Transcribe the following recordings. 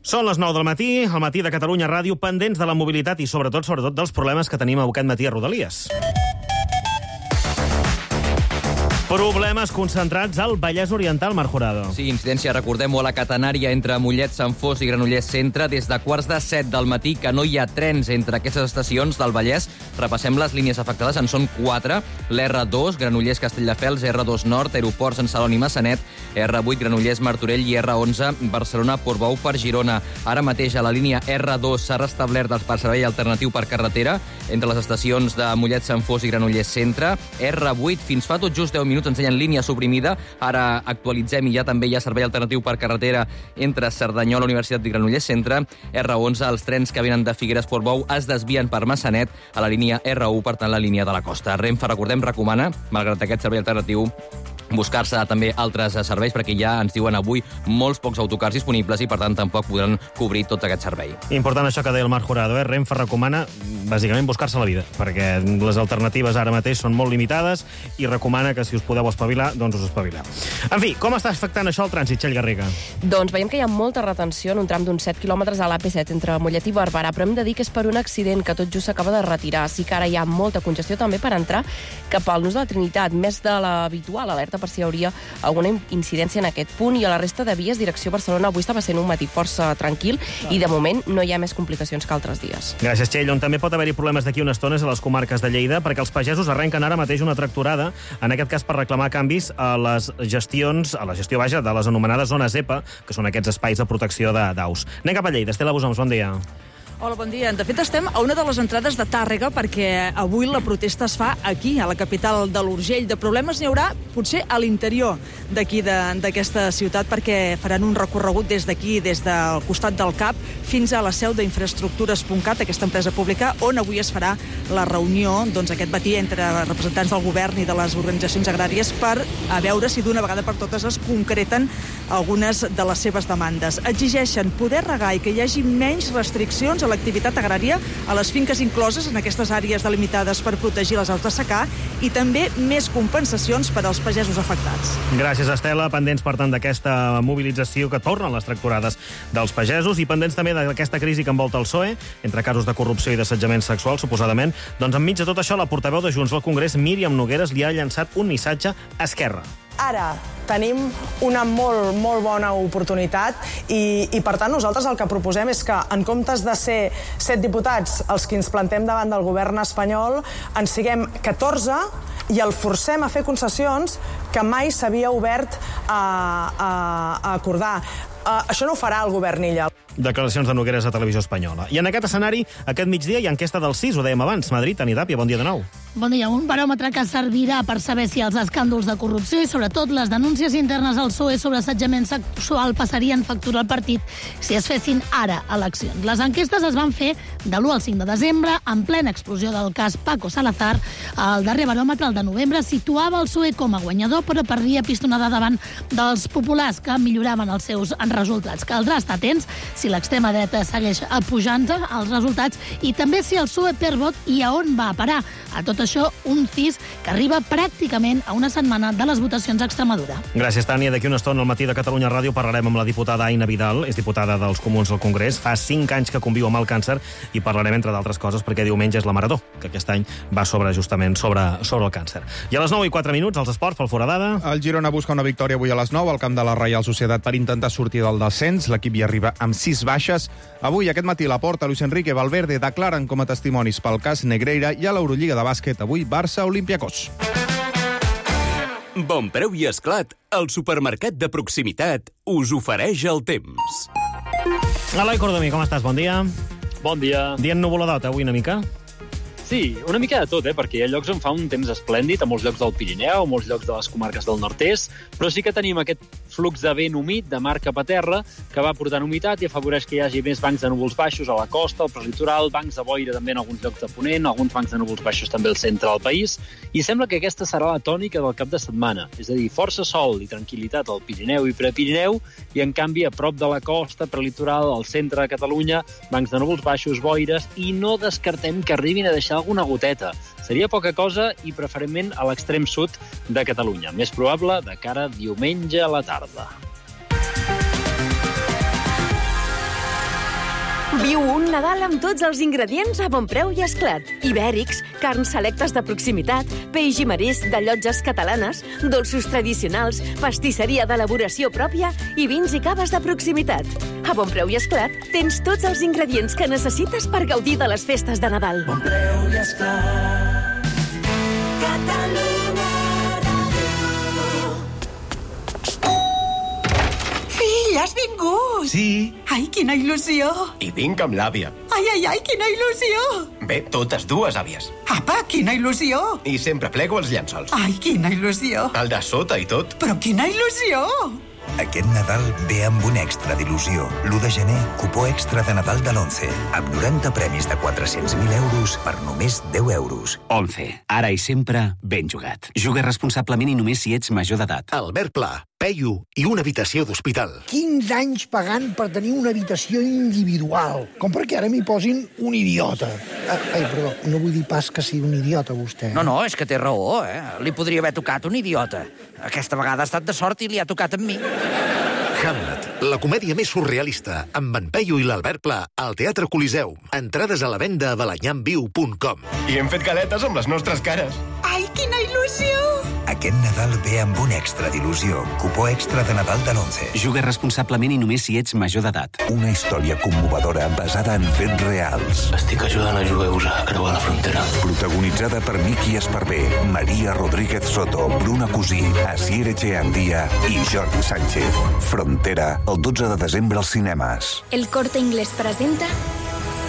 Són les 9 del matí, al matí de Catalunya Ràdio, pendents de la mobilitat i sobretot dels problemes que tenim aquest matí a Rodalies. Problemes concentrats al Vallès Oriental, Marc Jurado. Sí, incidència, recordem-ho, a la catenària entre Mollet, Sant Fos i Granollers Centre des de quarts de 7 del matí, que no hi ha trens entre aquestes estacions del Vallès. Repassem les línies afectades, en són 4. L'R2, Granollers Castelldefels, R2 Nord, Aeroport Sant Celoni Massanet, R8 Granollers Martorell i R11 Barcelona Portbou per Girona. Ara mateix a la línia R2 s'ha restablert el servei alternatiu per carretera entre les estacions de Mollet, Sant Fos i Granollers Centre. R8, fins fa tot just 10 minuts ensenyen línia suprimida. Ara actualitzem i ja també hi ha servei alternatiu per carretera entre Cerdanyola, Universitat i Granollers Centre. R11, els trens que venen de Figueres Portbou es desvien per Massanet a la línia R1, per tant la línia de la costa. Renfe, recordem, recomana, malgrat aquest servei alternatiu, buscar-se també altres serveis, perquè ja ens diuen avui molts pocs autocars disponibles i, per tant, tampoc podran cobrir tot aquest servei. Important això que deia el Marc Jurado, Renfe recomana, bàsicament, buscar-se la vida, perquè les alternatives ara mateix són molt limitades i recomana que, si us podeu espavilar, doncs us espavileu. En fi, com està afectant això el trànsit, Txell Garriga? Doncs veiem que hi ha molta retenció en un tram d'uns 7 quilòmetres a l'AP7 entre Mollet i Barberà, però hem de dir que és per un accident que tot just s'acaba de retirar. Sí que ara hi ha molta congestió també per entrar cap al Nus de la Trinitat, més de l'habitual, alerta per si hi hauria alguna incidència en aquest punt, i a la resta de vies, direcció Barcelona, avui estava sent un matí força tranquil i de moment no hi ha més complicacions que altres dies. Gràcies, Txell. On també pot haver-hi problemes d'aquí una estona és a les comarques de Lleida, perquè els pagesos arrenquen ara mateix una tractorada, en aquest cas per reclamar canvis a la gestió de les anomenades zones EPA, que són aquests espais de protecció d'aus. Anem cap a Lleida. Estela Busons, bon dia. Hola, bon dia. De fet, estem a una de les entrades de Tàrrega perquè avui la protesta es fa aquí, a la capital de l'Urgell. De problemes n'hi haurà potser a l'interior d'aquí, d'aquesta ciutat, perquè faran un recorregut des d'aquí, des del costat del CAP, fins a la seu d'Infraestructures.cat, aquesta empresa pública, on avui es farà la reunió aquest matí entre representants del govern i de les organitzacions agràries per a veure si d'una vegada per totes es concreten algunes de les seves demandes. Exigeixen poder regar i que hi hagi menys restriccions a l'activitat agrària a les finques incloses en aquestes àrees delimitades per protegir les aus de secà i també més compensacions per als pagesos afectats. Gràcies, Estela. Pendents, per tant, d'aquesta mobilització que tornen les tractorades dels pagesos i pendents també d'aquesta crisi que envolta el PSOE, entre casos de corrupció i d'assetjament sexual, suposadament. Doncs enmig de tot això, la portaveu de Junts al Congrés, Míriam Nogueras, li ha llançat un missatge a Esquerra. Ara tenim una molt bona oportunitat i per tant nosaltres el que proposem és que en comptes de ser 7 diputats els que ens plantem davant del govern espanyol, en siguem 14 i el forcem a fer concessions que mai s'havia obert a acordar. Això no ho farà el govern Illa. Declaracions de Nogueras a Televisió Espanyola. I en aquest escenari, aquest migdia hi ha enquesta del CIS, ho dèiem abans. Madrid, Tani Tàpia, bon dia de nou. Bon dia. Un baròmetre que servirà per saber si els escàndols de corrupció i sobretot les denúncies internes al PSOE sobre assetjament sexual passarien factura al partit si es fessin ara eleccions. Les enquestes es van fer de l'1 al 5 de desembre, en plena explosió del cas Paco Salazar. El darrer baròmetre, el de novembre, situava el PSOE com a guanyador, però perdia pistonada davant dels populars, que milloraven els seus resultats. Caldrà estar atents si l'extrema dreta segueix pujant els resultats i també si el PSOE perd vot i a on va a parar. A tot això, un CIS que arriba pràcticament a una setmana de les votacions a Extremadura. Gràcies, Tània. D'aquí una estona al matí de Catalunya Ràdio parlarem amb la diputada Aina Vidal, és diputada dels Comuns al Congrés. Fa 5 anys que conviu amb el càncer i parlarem, entre d'altres coses, perquè diumenge és la Marató, que aquest any va justament sobre el càncer. I a les 9:04, els esports pel Foradada. El Girona busca una victòria avui a les 9 al camp de la Reial Societat per intentar sortir del descens. L'equip hi arriba amb 6 baixes. Avui, aquest matí, Laporta, Luis Enrique, Valverde declaren com a testimonis pel cas Negreira i a l'Eurolliga de bàsquet avui Barça Olympiacos. Bon preu i esclat, el supermercat de proximitat us ofereix el temps. Eloi Cordomí, com estàs? Bon dia. Bon dia. Dia ennuvoladot, avui una mica? Sí, una mica de tot, perquè hi ha llocs on fa un temps esplèndid, a molts llocs del Pirineu, a molts llocs de les comarques del nord-est, però sí que tenim aquest flux de vent humit de mar cap a terra que va portant humitat i afavoreix que hi hagi més bancs de núvols baixos a la costa, al prelitoral, bancs de boira també en alguns llocs de Ponent, alguns bancs de núvols baixos també al centre del país, i sembla que aquesta serà la tònica del cap de setmana, és a dir, força sol i tranquil·litat al Pirineu i Prepirineu, i en canvi a prop de la costa, prelitoral, al centre de Catalunya, bancs de núvols baixos, boires, i no descartem que arribin a deixar alguna goteta. Seria poca cosa i preferentment a l'extrem sud de Catalunya. Més probable de cara a diumenge a la tarda. Viu un Nadal amb tots els ingredients a bon preu i esclat. Ibèrics, carns selectes de proximitat, peix i marisc de llotges catalanes, dolços tradicionals, pastisseria d'elaboració pròpia i vins i caves de proximitat. A bon preu i esclat tens tots els ingredients que necessites per gaudir de les festes de Nadal. Bon preu i esclat. Catalunya Ràdio. Fill, has vingut! Sí. Ai, quina il·lusió! I vinc amb l'àvia. Ai, quina il·lusió! Bé, totes dues àvies. Apa, quina il·lusió! I sempre plego els llençols. Ai, quina il·lusió! El de sota i tot. Però quina il·lusió! Aquest Nadal ve amb un extra d'il·lusió. L'1 de gener, cupó extra de Nadal de l'11, amb 90 premis de 400.000 euros per només 10 euros. 11. Ara i sempre, ben jugat. Juga responsablement i només si ets major d'edat. Albert Pla, Peyu i una habitació d'hospital. 15 anys pagant per tenir una habitació individual. Com perquè ara m'hi posin un idiota. Ai, perdó, no vull dir pas que sigui un idiota, vostè. No, és que té raó, Li podria haver tocat un idiota. Aquesta vegada ha estat de sort i li ha tocat amb mi. Hamlet, la comèdia més surrealista, amb en Peyu i l'Albert Pla, al Teatre Coliseum. Entrades a la venda a balanyamviu.com. I hem fet galetes amb les nostres cares. Ai, quina il·lusió! Aquest Nadal ve amb un extra d'il·lusió. Cupó extra de Nadal de l'11. Juga responsablement i només si ets major d'edat. Una història commovedora basada en fets reals. Estic ajudant a jueus a creuar la frontera. Protagonitzada per Miki Esparvé, Maria Rodríguez Soto, Bruna Cusí, Asier Echeandía i Jordi Sánchez. Frontera, el 12 de desembre als cinemes. El Corte Inglés presenta...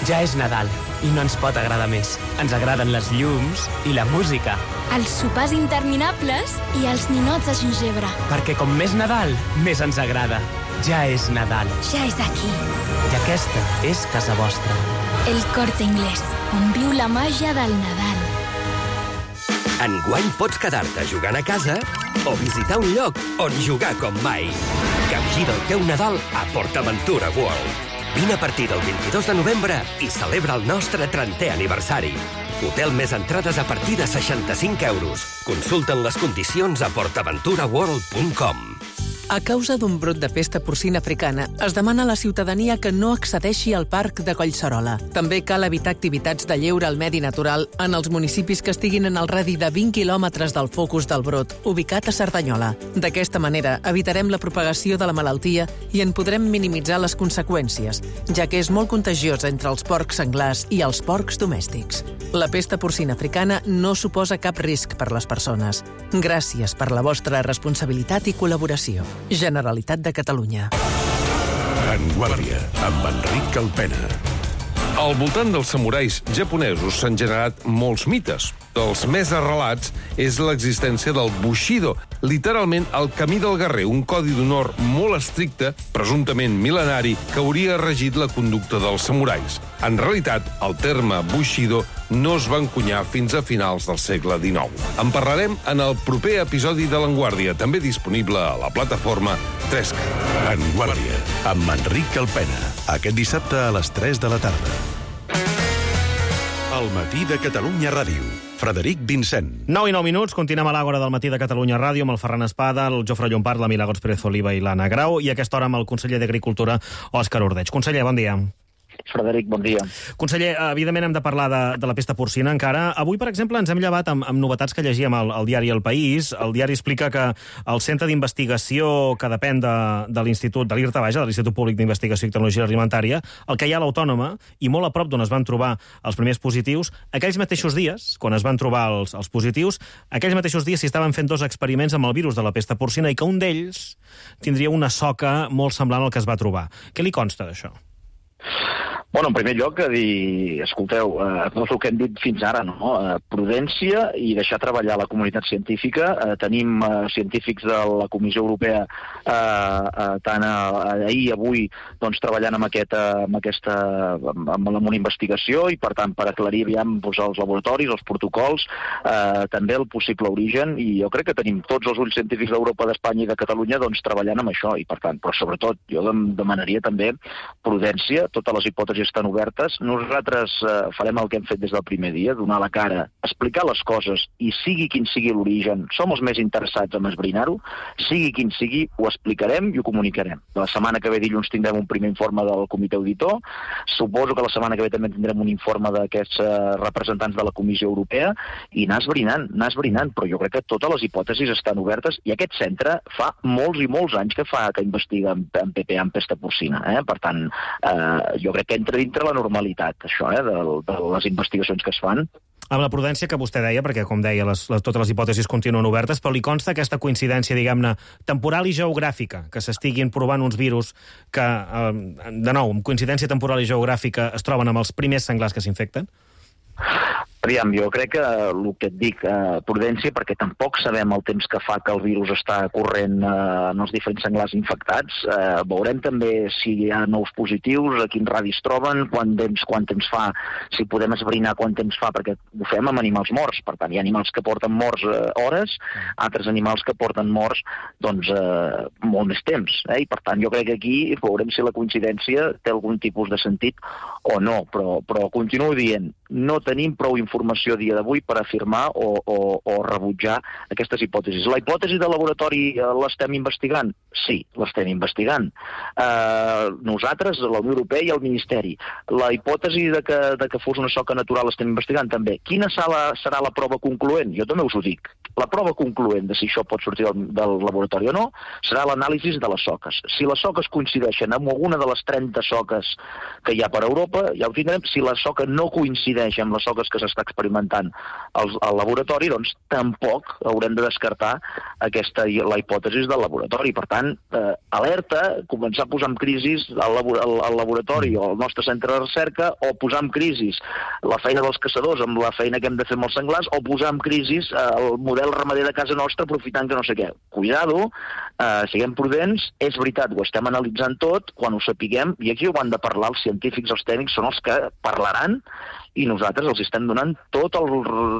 Ja és Nadal i no ens pot agradar més. Ens agraden les llums i la música. Els sopars interminables i els ninots de gingebre. Perquè com més Nadal, més ens agrada. Ja és Nadal. Ja és aquí. I aquesta és casa vostra. El Corte Inglés, on viu la màgia del Nadal. Enguany pots quedar-te jugant a casa o visitar un lloc on jugar com mai. Capgira el teu Nadal a PortAventura World. Vine a partir del 22 de novembre i celebra el nostre 30è aniversari. Hotel més entrades a partir de 65 euros. Consulta'n les condicions a portaventuraworld.com. A causa d'un brot de pesta porcina africana, es demana a la ciutadania que no accedeixi al parc de Collserola. També cal evitar activitats de lleure al medi natural en els municipis que estiguin en el radi de 20 quilòmetres del focus del brot, ubicat a Cerdanyola. D'aquesta manera, evitarem la propagació de la malaltia i en podrem minimitzar les conseqüències, ja que és molt contagiosa entre els porcs senglars i els porcs domèstics. La pesta porcina africana no suposa cap risc per les persones. Gràcies per la vostra responsabilitat i col·laboració. Generalitat de Catalunya. En Guàrdia, amb Enric Calpena. Al voltant dels samurais japonesos s'han generat molts mites. Els més arrelats és l'existència del Bushido, literalment el camí del guerrer, un codi d'honor molt estricte, presumptament mil·lenari, que hauria regit la conducta dels samurais. En realitat, el terme Bushido no es va encunyar fins a finals del segle XIX. En parlarem en el proper episodi de l'Enguàrdia, també disponible a la plataforma 3CAT. En Guàrdia, amb Enric Calpena. Aquest dissabte a les 3 de la tarda. El matí de Catalunya Ràdio. Frederic Vincent. 9 i 9 minuts, continuem a l'Àgora del matí de Catalunya Ràdio amb el Ferran Espada, el Jofre Llompart, la Milagros Pérez Oliva i l'Anna Grau, i a aquesta hora amb el conseller d'Agricultura, Òscar Ordeig. Conseller, bon dia. Frederic, bon dia. Conseller, evidentment hem de parlar de la pesta porcina encara. Avui, per exemple, ens hem llevat amb novetats que llegíem al diari El País. El diari explica que el centre d'investigació que depèn de l'Institut, de l'IRTA, de l'Institut Públic d'Investigació i Tecnologia Alimentària, el que hi ha a l'Autònoma, i molt a prop d'on es van trobar els primers positius, aquells mateixos dies, quan es van trobar els positius, aquells mateixos dies s'hi estaven fent 2 experiments amb el virus de la pesta porcina i que un d'ells tindria una soca molt semblant al que es va trobar. Què li consta d'això? Bueno, en primer lloc, dir, escolteu, no és el que hem dit fins ara, no? Prudència i deixar treballar la comunitat científica. Tenim científics de la Comissió Europea tant ahir i avui doncs, treballant amb una investigació i, per tant, per aclarir aviam els laboratoris, els protocols, també el possible origen, i jo crec que tenim tots els ulls científics d'Europa, d'Espanya i de Catalunya doncs, treballant amb això, i per tant, però sobretot jo demanaria també prudència, totes les hipòtesis hipòtesis estan obertes. Nosaltres farem el que hem fet des del primer dia, donar la cara, explicar les coses, i sigui quin sigui l'origen, som els més interessats en esbrinar-ho, sigui quin sigui, ho explicarem i ho comunicarem. La setmana que ve, dilluns, tindrem un primer informe del comitè auditor. Suposo que la setmana que ve també tindrem un informe d'aquests representants de la Comissió Europea, i anar esbrinant, però jo crec que totes les hipòtesis estan obertes, i aquest centre fa molts i molts anys que investiga en PPA, en pesta porcina. Per tant, jo crec que entra dintre la normalitat, això, de les investigacions que es fan. Amb la prudència que vostè deia, perquè, com deia, totes les hipòtesis continuen obertes, però li consta aquesta coincidència, diguem-ne, temporal i geogràfica, que s'estiguin provant uns virus que, de nou, amb coincidència temporal i geogràfica, es troben amb els primers senglars que s'infecten? Aviam, jo crec que el que et dic, prudència, perquè tampoc sabem el temps que fa que el virus està corrent en els diferents senglars infectats. Veurem també si hi ha nous positius, a quin radi es troben, quant temps fa, si podem esbrinar quant temps fa, perquè ho fem amb animals morts. Per tant, hi ha animals que porten morts hores, altres animals que porten morts molt més temps. I per tant, jo crec que aquí veurem si la coincidència té algun tipus de sentit o no, però continuo dient, no tenim prou informació a dia d'avui per afirmar o rebutjar aquestes hipòtesis. La hipòtesi de laboratori l'estem investigant? Sí, l'estem investigant. Nosaltres, la Unió Europea i el Ministeri. La hipòtesi de que fos una soca natural l'estem investigant també. Quina serà la prova concloent? Jo també us ho dic. La prova concloent de si això pot sortir del laboratori o no serà l'anàlisi de les soques. Si les soques coincideixen amb alguna de les 30 soques que hi ha per Europa, ja ho tindrem. Si la soca no coincideix amb les soques que s'està experimentant al laboratori, doncs tampoc haurem de descartar la hipòtesi del laboratori. Per tant, alerta, començar a posar en crisi al laboratori o al nostre centre de recerca, o posar en crisi la feina dels caçadors amb la feina que hem de fer amb els senglars, o posar en crisi el model ramader de casa nostra aprofitant que no sé què. Cuidado, siguem prudents, és veritat, ho estem analitzant tot, quan ho sapiguem, i aquí ho han de parlar els científics, els tècnics, són els que parlaran, i nosaltres els estem donant tot el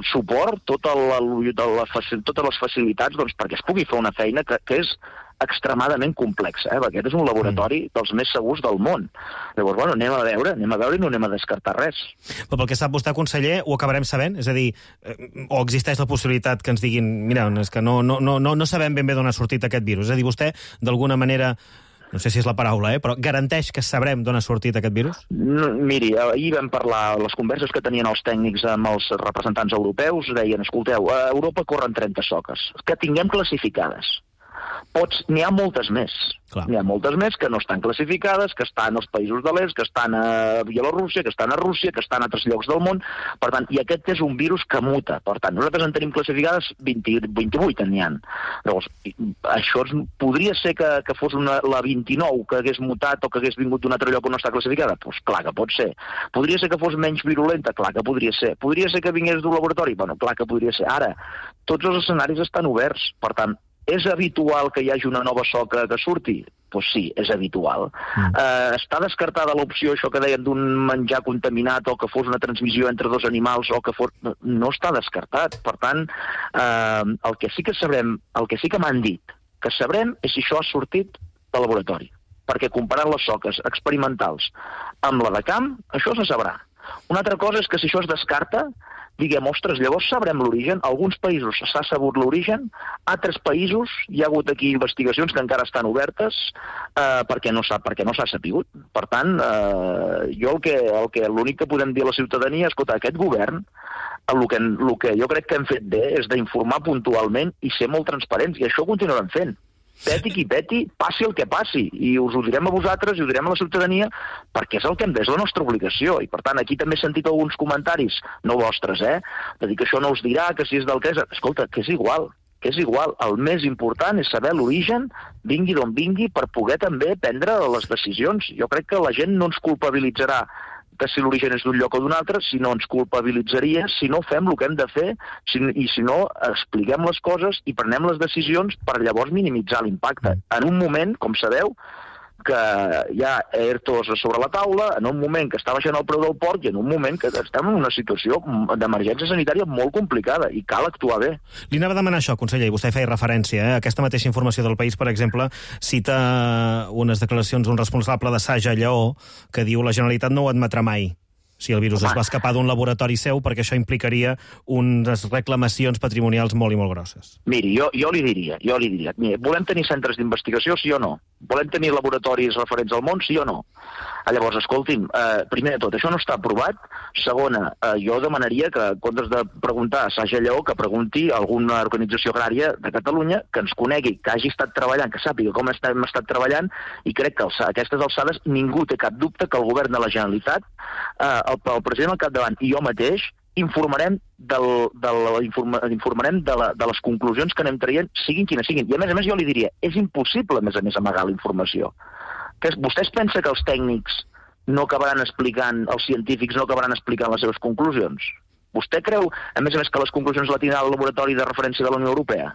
suport, totes les facilitats perquè es pugui fer una feina que és extremadament complexa, perquè aquest és un laboratori dels més segurs del món. Llavors, anem a veure i no anem a descartar res. Però pel que sap vostè, conseller, ho acabarem sabent? És a dir, o existeix la possibilitat que ens diguin, mira, és que no sabem ben bé d'on ha sortit aquest virus. És a dir, vostè, d'alguna manera, no sé si és la paraula, però garanteix que sabrem d'on ha sortit aquest virus? Miri, ahir vam parlar, les converses que tenien els tècnics amb els representants europeus, deien, escolteu, a Europa corren 30 soques, que tinguem classificades. N'hi ha moltes més. N'hi ha moltes més que no estan classificades, que estan als països de l'est, que estan a Bielorússia, que estan a Rússia, que estan a altres llocs del món. Per tant, i aquest és un virus que muta. Per tant, nosaltres en tenim classificades 28, n'hi ha. Llavors, això podria ser que fos la 29 que hagués mutat o que hagués vingut d'un altre lloc on no està classificada? Doncs clar que pot ser. Podria ser que fos menys virulenta? Clar que podria ser. Podria ser que vingués d'un laboratori? Bueno, clar que podria ser. Ara, tots els escenaris estan oberts. Per tant, és habitual que hi hagi una nova soca que surti? Doncs sí, és habitual. Està descartada l'opció, això que deien, d'un menjar contaminat o que fos una transmissió entre dos animals o que fos... No està descartat. Per tant, el que sí que sabrem, el que sí que m'han dit que sabrem és si això ha sortit del laboratori. Perquè comparant les soques experimentals amb la de camp, això se sabrà. Una altra cosa és que si això es descarta, diguem, ostres, llavors sabrem l'origen. Alguns països s'ha sabut l'origen, altres països hi ha hagut aquí investigacions que encara estan obertes perquè no s'ha sabut. Per tant, l'únic que podem dir a la ciutadania, escolta, aquest govern, el que jo crec que hem fet bé és d'informar puntualment i ser molt transparents, i això ho continuarem fent. Peti qui peti, passi el que passi, i us ho direm a vosaltres i ho direm a la ciutadania, perquè és el que és la nostra obligació. I per tant, aquí també he sentit alguns comentaris, no vostres, de dir que això no us dirà, que si és del que és... Escolta, que és igual. El més important és saber l'origen, vingui d'on vingui, per poder també prendre les decisions. Jo crec que la gent no ens culpabilitzarà que si l'origen és d'un lloc o d'un altre, si no ens culpabilitzaria si no fem el que hem de fer i si no expliquem les coses i prenem les decisions per llavors minimitzar l'impacte. En un moment, com sabeu, que hi ha ERTOs sobre la taula, en un moment que està baixant el preu del porc i en un moment que estem en una situació d'emergència sanitària molt complicada i cal actuar bé. Li anava a demanar això, conseller, i vostè feia referència. Aquesta mateixa informació del País, per exemple, cita unes declaracions d'un responsable de Saja Lleó que diu la Generalitat no ho admetrà mai si el virus es va escapar d'un laboratori seu, perquè això implicaria unes reclamacions patrimonials molt i molt grosses. Miri, jo li diria, mira, volem tenir centres d'investigació, sí o no? Volem tenir laboratoris referents al món, sí o no? Llavors, escolti'm, primer de tot, això no està aprovat. Segona, jo demanaria que, en comptes de preguntar a Saja Lleó, que pregunti a alguna organització agrària de Catalunya que ens conegui, que hagi estat treballant, que sàpiga com hem estat treballant, i crec que a aquestes alçades ningú té cap dubte que el govern de la Generalitat, el president al capdavant i jo mateix, informarem de les conclusions que anem traient, siguin quines siguin. I a més jo li diria, és impossible, a més, amagar la informació. Vostès pensen que els tècnics no acabaran explicant, els científics no acabaran explicant les seves conclusions? Vostè creu, a més, que les conclusions la tindrà el laboratori de referència de la Unió Europea?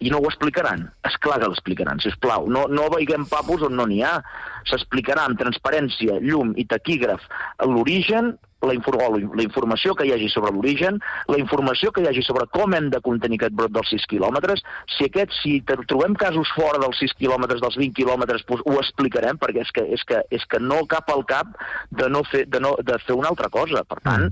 I no ho explicaran? Esclar que l'explicaran, sisplau. No veiguem papus on no n'hi ha. S'explicarà amb transparència, llum i taquígraf l'origen, la informació que hi hagi sobre l'origen, la informació que hi hagi sobre com hem de contenir aquest brot dels 6 quilòmetres. Si trobem casos fora dels 6 quilòmetres, dels 20 quilòmetres, ho explicarem, perquè és que no cap al cap de fer una altra cosa. Per tant,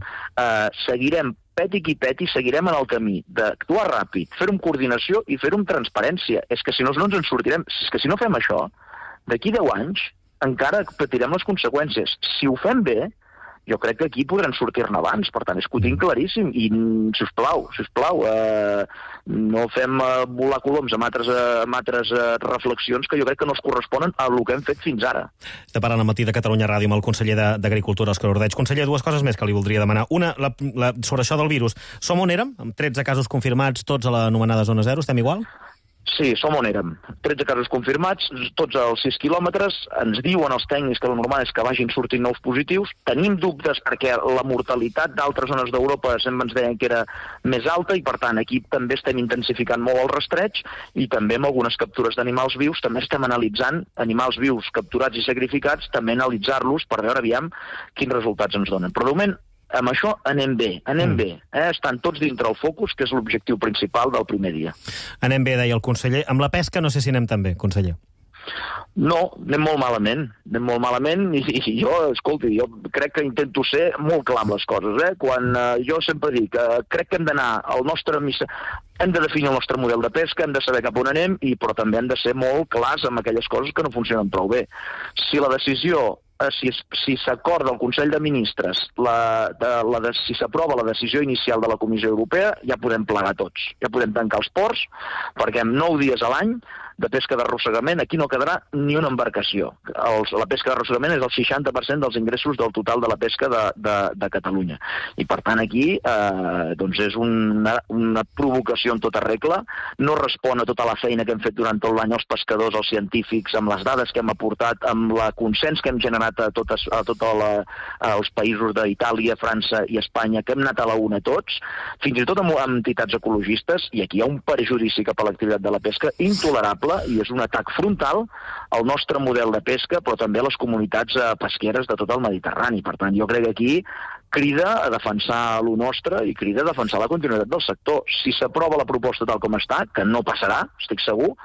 seguirem peti qui peti, seguirem en el camí d'actuar ràpid, fer-ho amb coordinació i fer-ho amb transparència. És que si no ens en sortirem. És que si no fem això, d'aquí 10 anys encara patirem les conseqüències. Si ho fem bé, jo crec que aquí podran sortir-ne abans. Per tant, és que ho tinc claríssim. I, sisplau, no fem volar coloms amb altres reflexions que jo crec que no es corresponen a el que hem fet fins ara. Estem parlant al matí de Catalunya Ràdio amb el conseller d'Agricultura, Òscar Ordeig. Conseller, dues coses més que li voldria demanar. Una, sobre això del virus. Som on érem? Amb 13 casos confirmats, tots a l'anomenada zona 0. Estem igual? Sí, som on érem. 13 casos confirmats, tots als 6 quilòmetres. Ens diuen els tècnics que el normal és que vagin sortint nous positius. Tenim dubtes perquè la mortalitat d'altres zones d'Europa sempre ens deien que era més alta i, per tant, aquí també estem intensificant molt el rastreig i també amb algunes captures d'animals vius. També estem analitzant animals vius capturats i sacrificats, també analitzar-los per veure aviam quins resultats ens donen. Però, de moment, amb això anem bé. Estan tots dintre el focus, que és l'objectiu principal del primer dia. Anem bé, deia el conseller. Amb la pesca no sé si anem tan bé, conseller. No, anem molt malament i jo, escolti, jo crec que intento ser molt clar amb les coses. Quan jo sempre dic que crec que hem d'anar al nostre hem de definir el nostre model de pesca, hem de saber cap on anem, però també hem de ser molt clars amb aquelles coses que no funcionen prou bé. Si la decisió si s'acorda al Consell de Ministres, si s'aprova la decisió inicial de la Comissió Europea, ja podem plegar tots. Ja podem tancar els ports, perquè en 9 dies a l'any de pesca d'arrossegament aquí no quedarà ni una embarcació. La pesca d'arrossegament és el 60% dels ingressos del total de la pesca de Catalunya. I, per tant, aquí és una provocació en tota regla. No respon a tota la feina que hem fet durant tot l'any els pescadors, els científics, amb les dades que hem aportat, amb la consens que hem generat a tots els països d'Itàlia, França i Espanya, que hem anat a la una tots, fins i tot amb entitats ecologistes, i aquí hi ha un perjudici cap a l'activitat de la pesca intolerable i és un atac frontal al nostre model de pesca, però també a les comunitats pesqueres de tot el Mediterrani. Per tant, jo crec que aquí crida a defensar lo nostre i crida a defensar la continuïtat del sector. Si s'aprova la proposta tal com està, que no passarà, estic segur,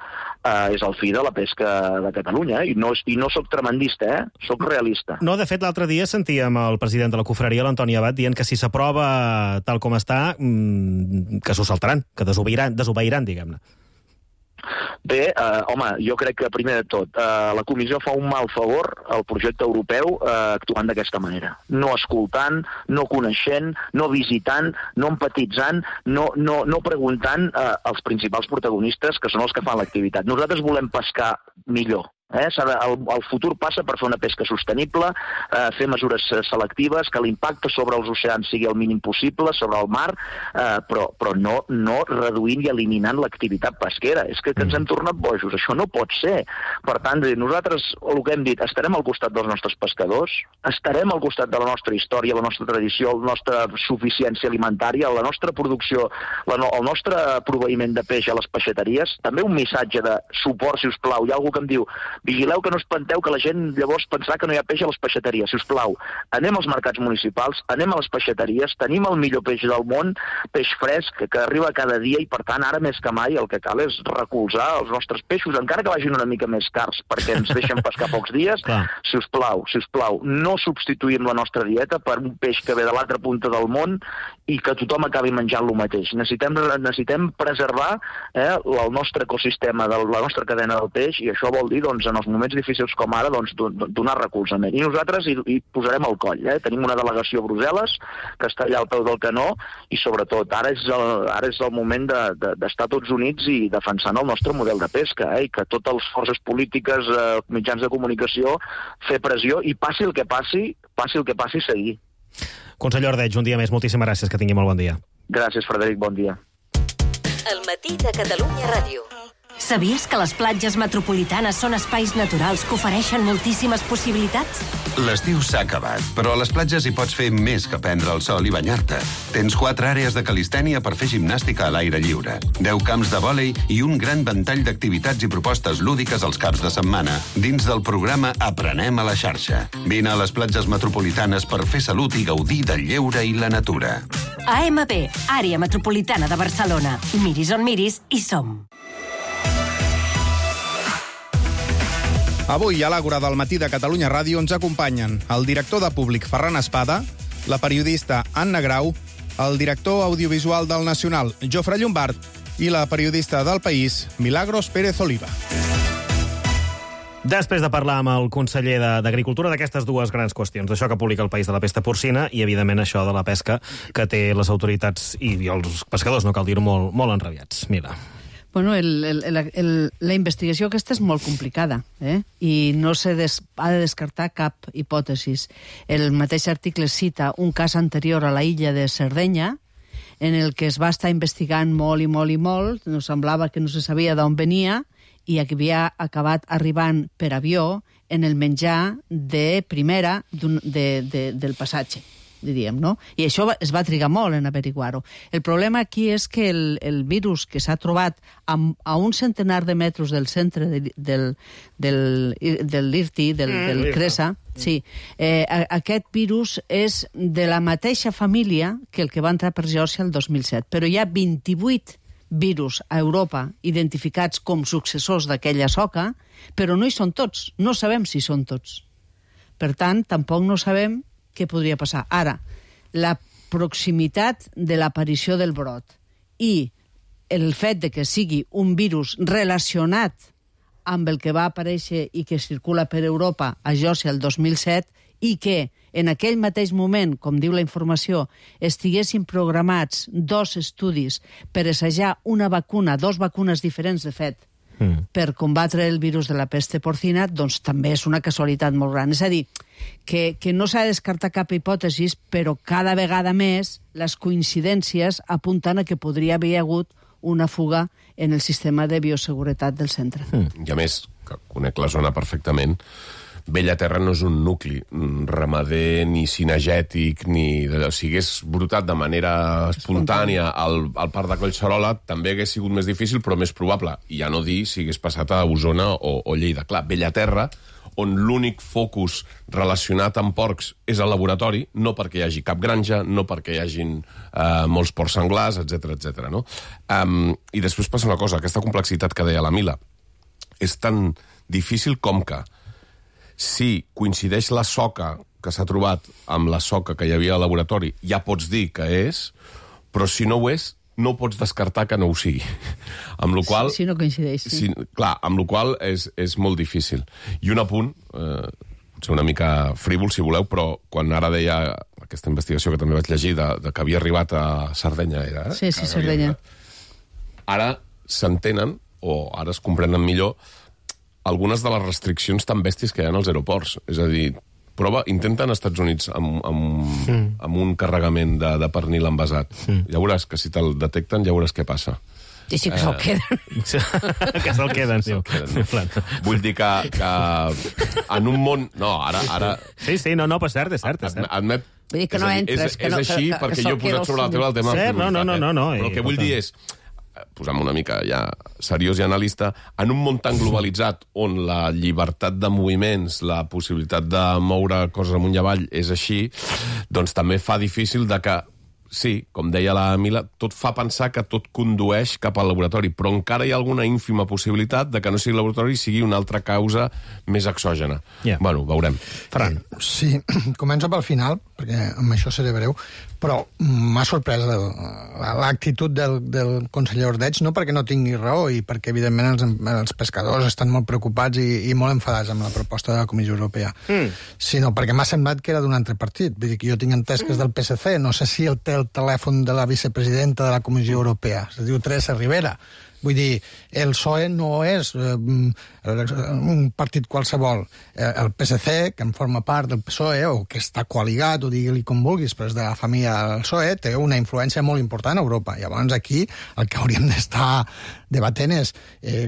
és el fi de la pesca de Catalunya. I no soc tremendista, soc realista. No, de fet, l'altre dia sentíem el president de la confraria, l'Antoni Abad, dient que si s'aprova tal com està, que s'ho saltaran, que desobeiran, diguem-ne. Bé, home, jo crec que, primer de tot, la comissió fa un mal favor al projecte europeu actuant d'aquesta manera. No escoltant, no coneixent, no visitant, no empatitzant, no preguntant als principals protagonistes, que són els que fan l'activitat. Nosaltres volem pescar millor. El futur passa per fer una pesca sostenible, fer mesures selectives, que l'impacte sobre els oceans sigui el mínim possible, sobre el mar, però no reduint i eliminant l'activitat pesquera. És que ens hem tornat bojos, això no pot ser. Per tant, nosaltres, el que hem dit, estarem al costat dels nostres pescadors, estarem al costat de la nostra història, la nostra tradició, la nostra suficiència alimentària, la nostra producció, el nostre proveïment de peix a les peixateries. També un missatge de suport, si us plau. Hi ha algú que em diu Vigileu que no espanteu que la gent llavors pensarà que no hi ha peix a les peixateries. Si us plau, anem als mercats municipals, anem a les peixateries, tenim el millor peix del món, peix fresc, que arriba cada dia i, per tant, ara més que mai el que cal és recolzar els nostres peixos, encara que vagin una mica més cars, perquè ens deixen pescar pocs dies. Si us plau, no substituïm la nostra dieta per un peix que ve de l'altra punta del món i que tothom acabi menjant lo mateix. Necessitem preservar el nostre ecosistema, la nostra cadena del peix, i això vol dir, doncs, en els moments difícils com ara, doncs, donar recolzament. I nosaltres hi posarem el coll. Tenim una delegació a Brussel·les que està allà al peu del canó i, sobretot, ara és el moment d'estar tots units i defensant el nostre model de pesca, i que totes les forces polítiques, mitjans de comunicació, fer pressió i passi el que passi, seguir. Conseller Ordeig, un dia més, moltíssimes gràcies, que tingui molt bon dia. Gràcies, Frederic, bon dia. El matí de Catalunya Ràdio. Sabies que les platges metropolitanes són espais naturals que ofereixen moltíssimes possibilitats? L'estiu s'ha acabat, però a les platges hi pots fer més que prendre el sol i banyar-te. Tens 4 àrees de calistènia per fer gimnàstica a l'aire lliure, 10 camps de vòlei i un gran ventall d'activitats i propostes lúdiques als caps de setmana, dins del programa Aprenem a la xarxa. Vine a les platges metropolitanes per fer salut i gaudir del lleure i la natura. AMB, Àrea Metropolitana de Barcelona. Miris on miris, hi som. Avui, a l'Àgora del matí de Catalunya Ràdio, ens acompanyen el director de Públic, Ferran Espada, la periodista Anna Grau, el director audiovisual del Nacional, Jofre Llombart, i la periodista del País, Milagros Pérez Oliva. Després de parlar amb el conseller d'Agricultura d'aquestes dues grans qüestions, d'això que publica el País de la pesta porcina i, evidentment, això de la pesca que té les autoritats i els pescadors, no cal dir-ho, molt enrabiats. Mira. Bueno, la investigació aquesta és molt complicada, i no ha de descartar cap hipòtesis. El mateix article cita un cas anterior a la illa de Sardenya, en el que es va estar investigant molt, no semblava que no se sabia d'on venia, i havia acabat arribant per avió en el menjar de primera del passatge, diríem, no? I això es va trigar molt en averiguar-ho. El problema aquí és que el virus que s'ha trobat a un centenar de metres del centre del IRTI, del CRESA, sí, aquest virus és de la mateixa família que el que va entrar per Geòrgia el 2007, però hi ha 28 virus a Europa identificats com successors d'aquella soca, però no hi són tots, no sabem si són tots. Per tant, tampoc no sabem què podria passar. Ara, la proximitat de l'aparició del brot i el fet de que sigui un virus relacionat amb el que va aparèixer i que circula per Europa a Geòrgia el 2007 i que en aquell mateix moment, com diu la informació, estiguessin programats 2 estudis per assajar una vacuna, 2 vacunes diferents, de fet, per combatre el virus de la pesta porcina, doncs també és una casualitat molt gran. És a dir, que no s'ha de descartar cap hipòtesi, però cada vegada més les coincidències apunten a que podria haver hagut una fuga en el sistema de bioseguretat del centre. I a més, que conec la zona perfectament, Bellaterra no és un nucli ramader ni cinegètic, si hagués brotat de manera espontània al parc de Collserola també hagués sigut més difícil, però més probable. I ja no dir si hagués passat a Osona o Lleida. Clar, Bellaterra, on l'únic focus relacionat amb porcs és el laboratori, no perquè hi hagi cap granja, no perquè hi hagin molts porcs senglars, etc. No? I després passa una cosa, aquesta complexitat que deia la Mila, és tan difícil com que si coincideix la soca que s'ha trobat amb la soca que hi havia al laboratori, ja pots dir que és, però si no ho és, no pots descartar que no ho sigui. Amb la qual, si no coincideix, sí. Clar, amb la qual és molt difícil. I un apunt, potser una mica frívol, si voleu, però quan ara deia aquesta investigació que també vaig llegir, de que havia arribat a Sardenya, era? Sí, Sardenya. Ara s'entenen, o ara es comprenen millor, algunes de les restriccions tan bèsties que hi ha als aeroports. És a dir, intenten als Estats Units amb un carregament de pernil envasat. Ja veuràs que si te'l detecten, ja veuràs què passa. I sí que se'l queden. Que se'l queden, sí. Vull dir que en un món... No, ara... Sí, no, però cert, és cert. Admet... Vull dir que no entres... És així perquè jo he posat sobre la taula el tema... No. Però el que vull dir és... posant-me una mica ja seriós i analista, en un món tan globalitzat on la llibertat de moviments, la possibilitat de moure coses amunt i avall és així, doncs també fa difícil de que, sí, com deia la Mila, tot fa pensar que tot condueix cap al laboratori, però encara hi ha alguna ínfima possibilitat de que no sigui laboratori i sigui una altra causa més exògena. Bueno, veurem. Ferran. Sí, començo pel final, perquè amb això seré breu, però m'ha sorprès l'actitud del conseller Ordeig, no perquè no tingui raó i perquè, evidentment, els pescadors estan molt preocupats i molt enfadats amb la proposta de la Comissió Europea, sinó perquè m'ha semblat que era d'un altre partit. Vull dir que jo tinc entès que és del PSC, no sé si el té el telèfon de la vicepresidenta de la Comissió Europea, es diu Teresa Rivera. Vull dir, el PSOE no és un partit qualsevol. El PSC, que en forma part del PSOE, o que està coaligat, o digue-li com vulguis, però és de la família del PSOE, té una influència molt important a Europa. Llavors aquí el que hauríem d'estar debatent és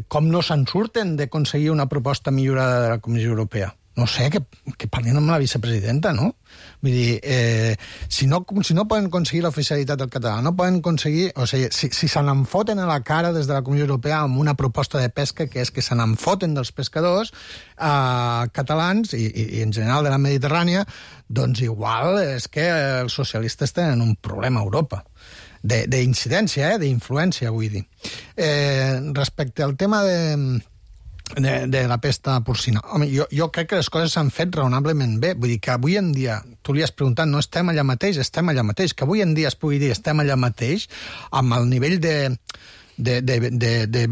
com no se'n surten d'aconseguir una proposta millorada de la Comissió Europea. No sé, que parlin amb la vicepresidenta, no? Vull dir, si no poden aconseguir l'oficialitat del català, no poden aconseguir... O sigui, si se n'enfoten a la cara des de la Comissió Europea amb una proposta de pesca que és que se n'enfoten dels pescadors catalans i en general de la Mediterrània, doncs igual és que els socialistes tenen un problema a Europa. D'incidència, d'influència, vull dir. Respecte al tema de la pesta porcina. Home, jo crec que les coses s'han fet raonablement bé. Vull dir que avui en dia, tu li has preguntat, no estem allà mateix, estem allà mateix. Que avui en dia es pugui dir estem allà mateix, amb el nivell de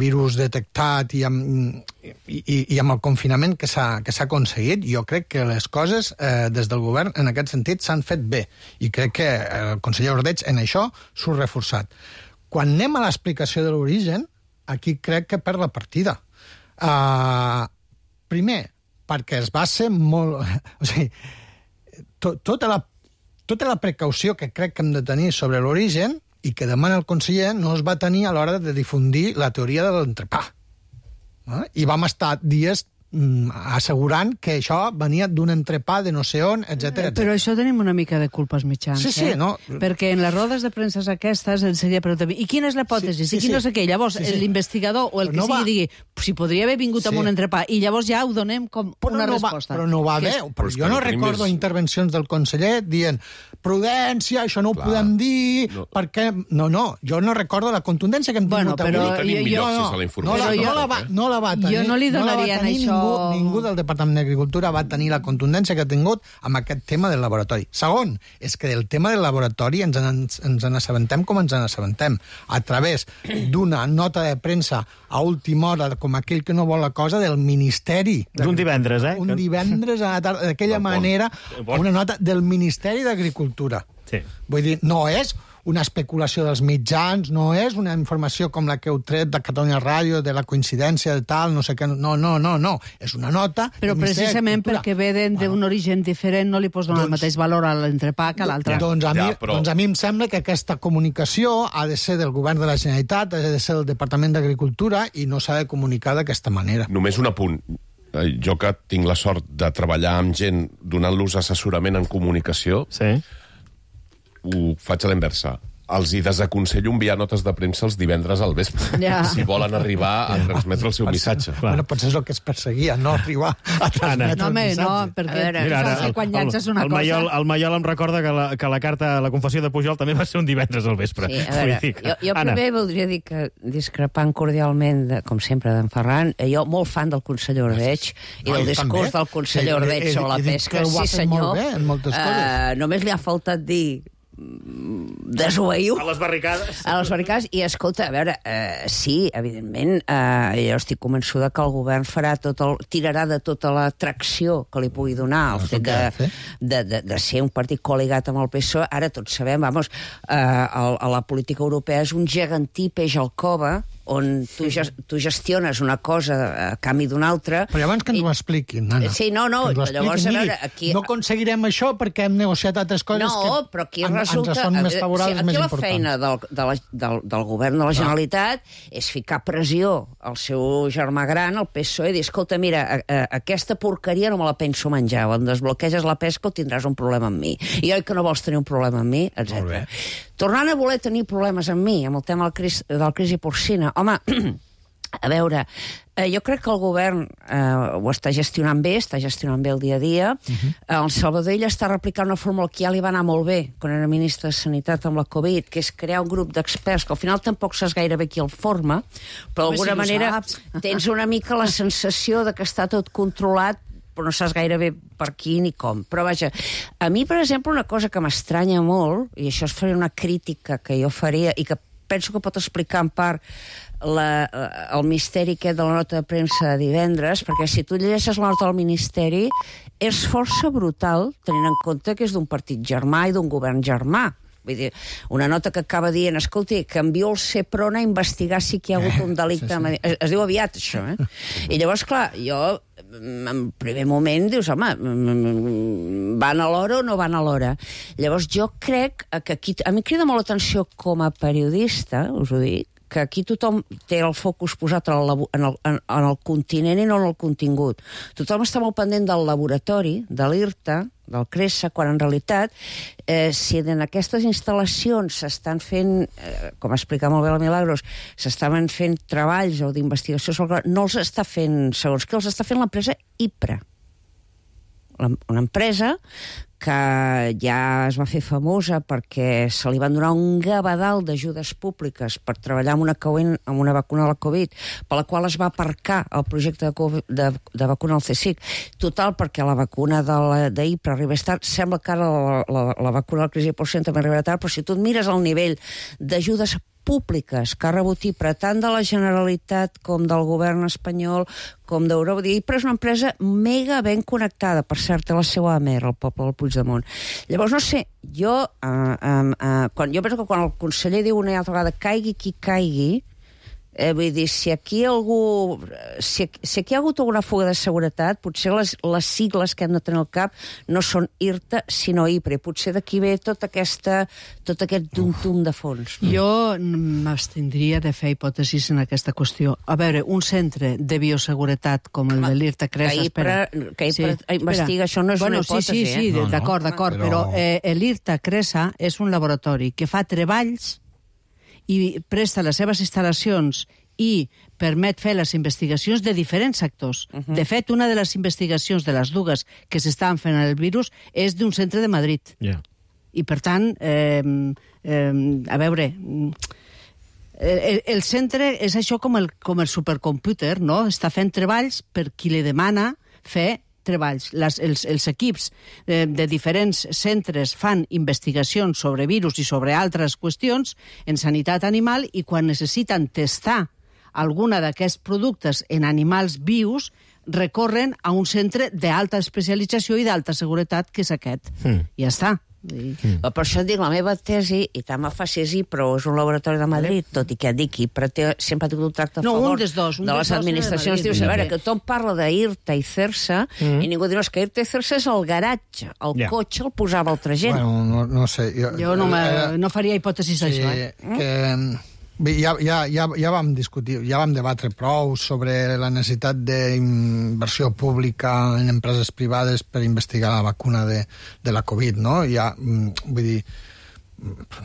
virus detectat i amb el confinament que s'ha aconseguit, jo crec que les coses des del govern en aquest sentit s'han fet bé. I crec que el conseller Ordeig en això s'ha reforçat. Quan anem a l'explicació de l'origen, aquí crec que perd la partida. Primer, perquè es va ser molt... O sigui, tota la precaució que crec que hem de tenir sobre l'origen i que demana el conseller no es va tenir a l'hora de difundir la teoria de l'entrepà. I vam estar dies assegurant que això venia d'un entrepà de no sé on, etc. Però això tenim una mica de culpa als mitjans, sí, no? Perquè en les rodes de premsa aquestes ens seria preguntar, i quina és la hipòtesi? I qui no sé què? Llavors, l'investigador o el que sigui digui, si podria haver vingut amb un entrepà, i llavors ja ho donem com una resposta. Però no va bé. Jo no recordo intervencions del conseller dient prudència, això no ho podem dir, perquè... No, jo no recordo la contundència que hem tingut avui. No tenim millor accés a la informació. No la va tenir. Jo no li donaria en això... Ningú del Departament d'Agricultura va tenir la contundència que ha tingut amb aquest tema del laboratori. Segon, és que del tema del laboratori ens n'assabentem com ens n'assabentem, a través d'una nota de premsa a última hora, com aquell que no vol la cosa, del Ministeri. Un divendres, Un divendres a la tarda, d'aquella manera, una nota del Ministeri d'Agricultura. Sí. Vull dir, no és una especulació dels mitjans, no és una informació com la que heu tret de Catalunya Ràdio, de la coincidència de tal, no sé què... No. És una nota... Però precisament perquè ve d'un origen diferent no li pots donar el mateix valor a l'entrepà que a l'altre. Doncs a mi em sembla que aquesta comunicació ha de ser del govern de la Generalitat, ha de ser del Departament d'Agricultura i no s'ha de comunicar d'aquesta manera. Només un apunt. Jo que tinc la sort de treballar amb gent donant-los assessorament en comunicació, ho faig a l'inversa. Els hi desaconsello enviar notes de premsa els divendres al vespre, si volen arribar a transmetre el seu missatge. Bueno, potser és el que es perseguia, no arribar a transmetre el missatge. No, perquè quan llances una cosa... El Maiol em recorda que la carta, la confessió de Pujol també va ser un divendres al vespre. Sí, a veure, jo primer voldria dir que, discrepant cordialment, com sempre, d'en Ferran, jo molt fan del conseller Ordeig i del discurs del conseller Ordeig sobre la pesca. Sí, senyor. Només li ha faltat dir desobeïu a les barricades i escolta, a veure, sí, evidentment jo estic convençuda que el govern tirarà de tota la tracció que li pugui donar el fet de ser un partit col·ligat amb el PSOE. Ara tots sabem, a la política europea és un gegantí peix al cova on tu gestiones una cosa a canvi d'una altra... Però llavors que ens ho expliquin, Anna. Sí, no, llavors... No aconseguirem això perquè hem negociat altres coses que ens són més favorables, més importants. Aquí la feina del govern de la Generalitat és ficar pressió al seu germà gran, al PSOE, i dir, escolta, mira, aquesta porqueria no me la penso menjar, on desbloqueges la pesca o tindràs un problema amb mi. I oi que no vols tenir un problema amb mi, etc. Tornant a voler tenir problemes amb mi, amb el tema del crisi porcina, home, a veure, jo crec que el govern ho està gestionant bé el dia a dia. El Salvador Illa està replicant una fórmula que ja li va anar molt bé quan era ministre de Sanitat amb la Covid, que és crear un grup d'experts, que al final tampoc saps gaire bé qui el forma, però d'alguna manera tens una mica la sensació de que està tot controlat, però no saps gaire bé per qui ni com. Però vaja, a mi, per exemple, una cosa que m'estranya molt, i això es faria una crítica que jo faria, i que penso que pot explicar en part el misteri aquest de la nota de premsa de divendres, perquè si tu llegeixes la nota del Ministeri, és força brutal, tenint en compte que és d'un partit germà i d'un govern germà. Vull dir, una nota que acaba dient, escolti, que envio el Seprona a investigar si hi ha hagut un delicte... Es diu aviat, això, I llavors, clar, jo, en primer moment, dius, home, van a l'hora o no van a l'hora? Llavors, jo crec que aquí... A mi crida molt l'atenció com a periodista, us ho dic, que aquí tothom té el focus posat en el continent i no en el contingut. Tothom està molt pendent del laboratori, de l'IRTA, del CRESA, quan en realitat, si en aquestes instal·lacions s'estan fent, com explica molt bé la Milagros, s'estaven fent treballs o d'investigació, no els està fent, segons què, els està fent l'empresa IPRA. Una empresa que ja es va fer famosa perquè se li van donar un gavadal d'ajudes públiques per treballar amb una vacuna de la Covid, per la qual es va aparcar el projecte de vacuna al CSIC. Total, perquè la vacuna d'IPRA arribés tard, sembla que ara la vacuna de la crisi porcina també arribarà tard, però si tu et mires el nivell d'ajudes públiques que ha rebut IPRA tant de la Generalitat com del govern espanyol com d'Europa. IPRA és una empresa mega ben connectada, per cert, a la seva AMER, el poble del Puigdemont. Llavors, no sé, jo penso que quan el conseller diu una altra vegada caigui qui caigui, vull dir, si aquí hi ha hagut alguna fuga de seguretat, potser les sigles que hem de tenir al cap no són IRTA, sinó IPRA. Potser d'aquí ve tot aquest tum de fons. Jo m'abstindria de fer hipòtesis en aquesta qüestió. A veure, un centre de bioseguretat com el de l'IRTA CRESA... Que IPRA investiga, això no és una hipòtesi. Sí, d'acord, però l'IRTA CRESA és un laboratori que fa treballs i presta les seves instal·lacions i permet fer les investigacions de diferents sectors. De fet, una de les investigacions de les dues que s'estaven fent en el virus és d'un centre de Madrid. I, per tant, a veure... El centre és això com el supercomputer, no? Està fent treballs per qui li demana fer treballs. Els equips de diferents centres fan investigacions sobre virus i sobre altres qüestions en sanitat animal i quan necessiten testar alguna d'aquests productes en animals vius recorren a un centre d'alta especialització i d'alta seguretat que és aquest. Ja està. Per això et dic, la meva tesi, i tant me fa si és IPRA o és un laboratori de Madrid, tot i que et dic IPRA sempre ha tingut un tracte a favor de les administracions. Dius, a veure, que tothom parla d'IRTA i CERSA i ningú diu, que IRTA i CERSA és el garatge, el cotxe el posava altra gent. Bueno, no sé. Jo no faria hipòtesis d'això. Ja vam discutir, ja vam debatre prou sobre la necessitat d'inversió pública en empreses privades per investigar la vacuna de la Covid, no? Vull dir,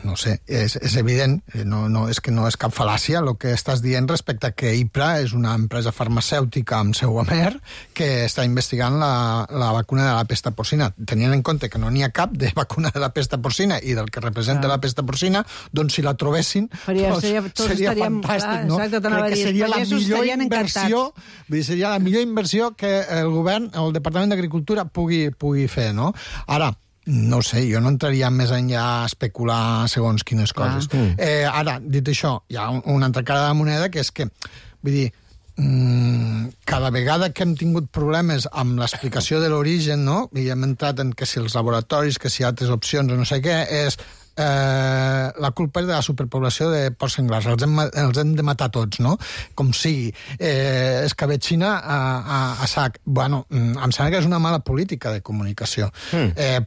no sé, és evident, és que no és cap fal·làcia el que estàs dient respecte a que IPRA és una empresa farmacèutica amb seu a Mer que està investigant la vacuna de la pesta porcina. Tenint en compte que no n'hi ha cap de vacuna de la pesta porcina i del que representa la pesta porcina, doncs si la trobessin seria fantàstic, no? Crec que seria la millor inversió, seria la millor inversió que el govern, el Departament d'Agricultura pugui fer, no? Ara, no sé, jo no entraria més enllà a especular segons quines coses. Ara, dit això, hi ha una altra cara de la moneda que és que, vull dir, cada vegada que hem tingut problemes amb l'explicació de l'origen, no? I hem entrat en que si els laboratoris, que si altres opcions o no sé què, és la culpa és de la superpoblació de porcs senglars, els hem de matar tots, no? Com sigui. Escabetxina a sac. Bueno, em sembla que és una mala política de comunicació.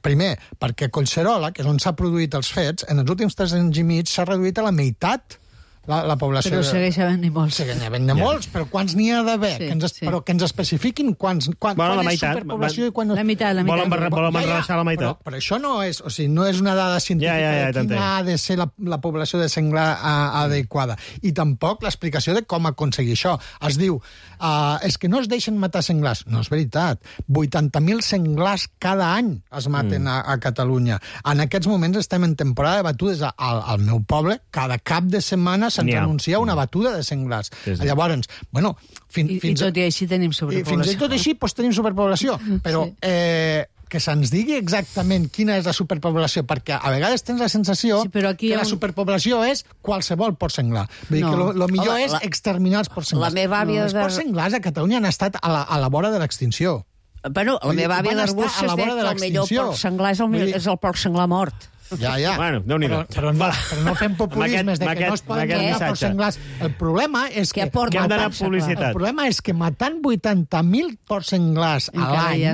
Primer, perquè a Collserola, que és on s'ha produït els fets, en els últims 3 anys i mig s'ha reduït a la meitat la població. Però segueix havent-hi molts. Segueix havent-hi molts, però quants n'hi ha d'haver? Però que ens especifiquin quan és superpoblació i quan no... La meitat. Volen rebaixar la meitat. Però això no és, o sigui, no és una dada científica de quina ha de ser la població de senglar adequada. I tampoc l'explicació de com aconseguir això. Es diu, és que no es deixen matar senglars. No és veritat. 80.000 senglars cada any es maten a Catalunya. En aquests moments estem en temporada de batudes al meu poble. Cada cap de setmana se'ns anuncia una batuda de senglars. Llavors, bueno... I tot i així tenim superpoblació. Fins i tot així tenim superpoblació. Però que se'ns digui exactament quina és la superpoblació, perquè a vegades tens la sensació que la superpoblació és qualsevol porc senglar. Vull dir que el millor és exterminar els porcs senglars. Els porcs senglars a Catalunya han estat a la vora de l'extinció. Bueno, la meva àvia d'Arbúcies deia que el millor porc senglar és el porc senglar mort. Ja. Bueno, Déu-n'hi-do. Però no fem populismes de que no es poden matar porcs senglars. El problema és que... El problema és que matant 80.000 porcs senglars a l'any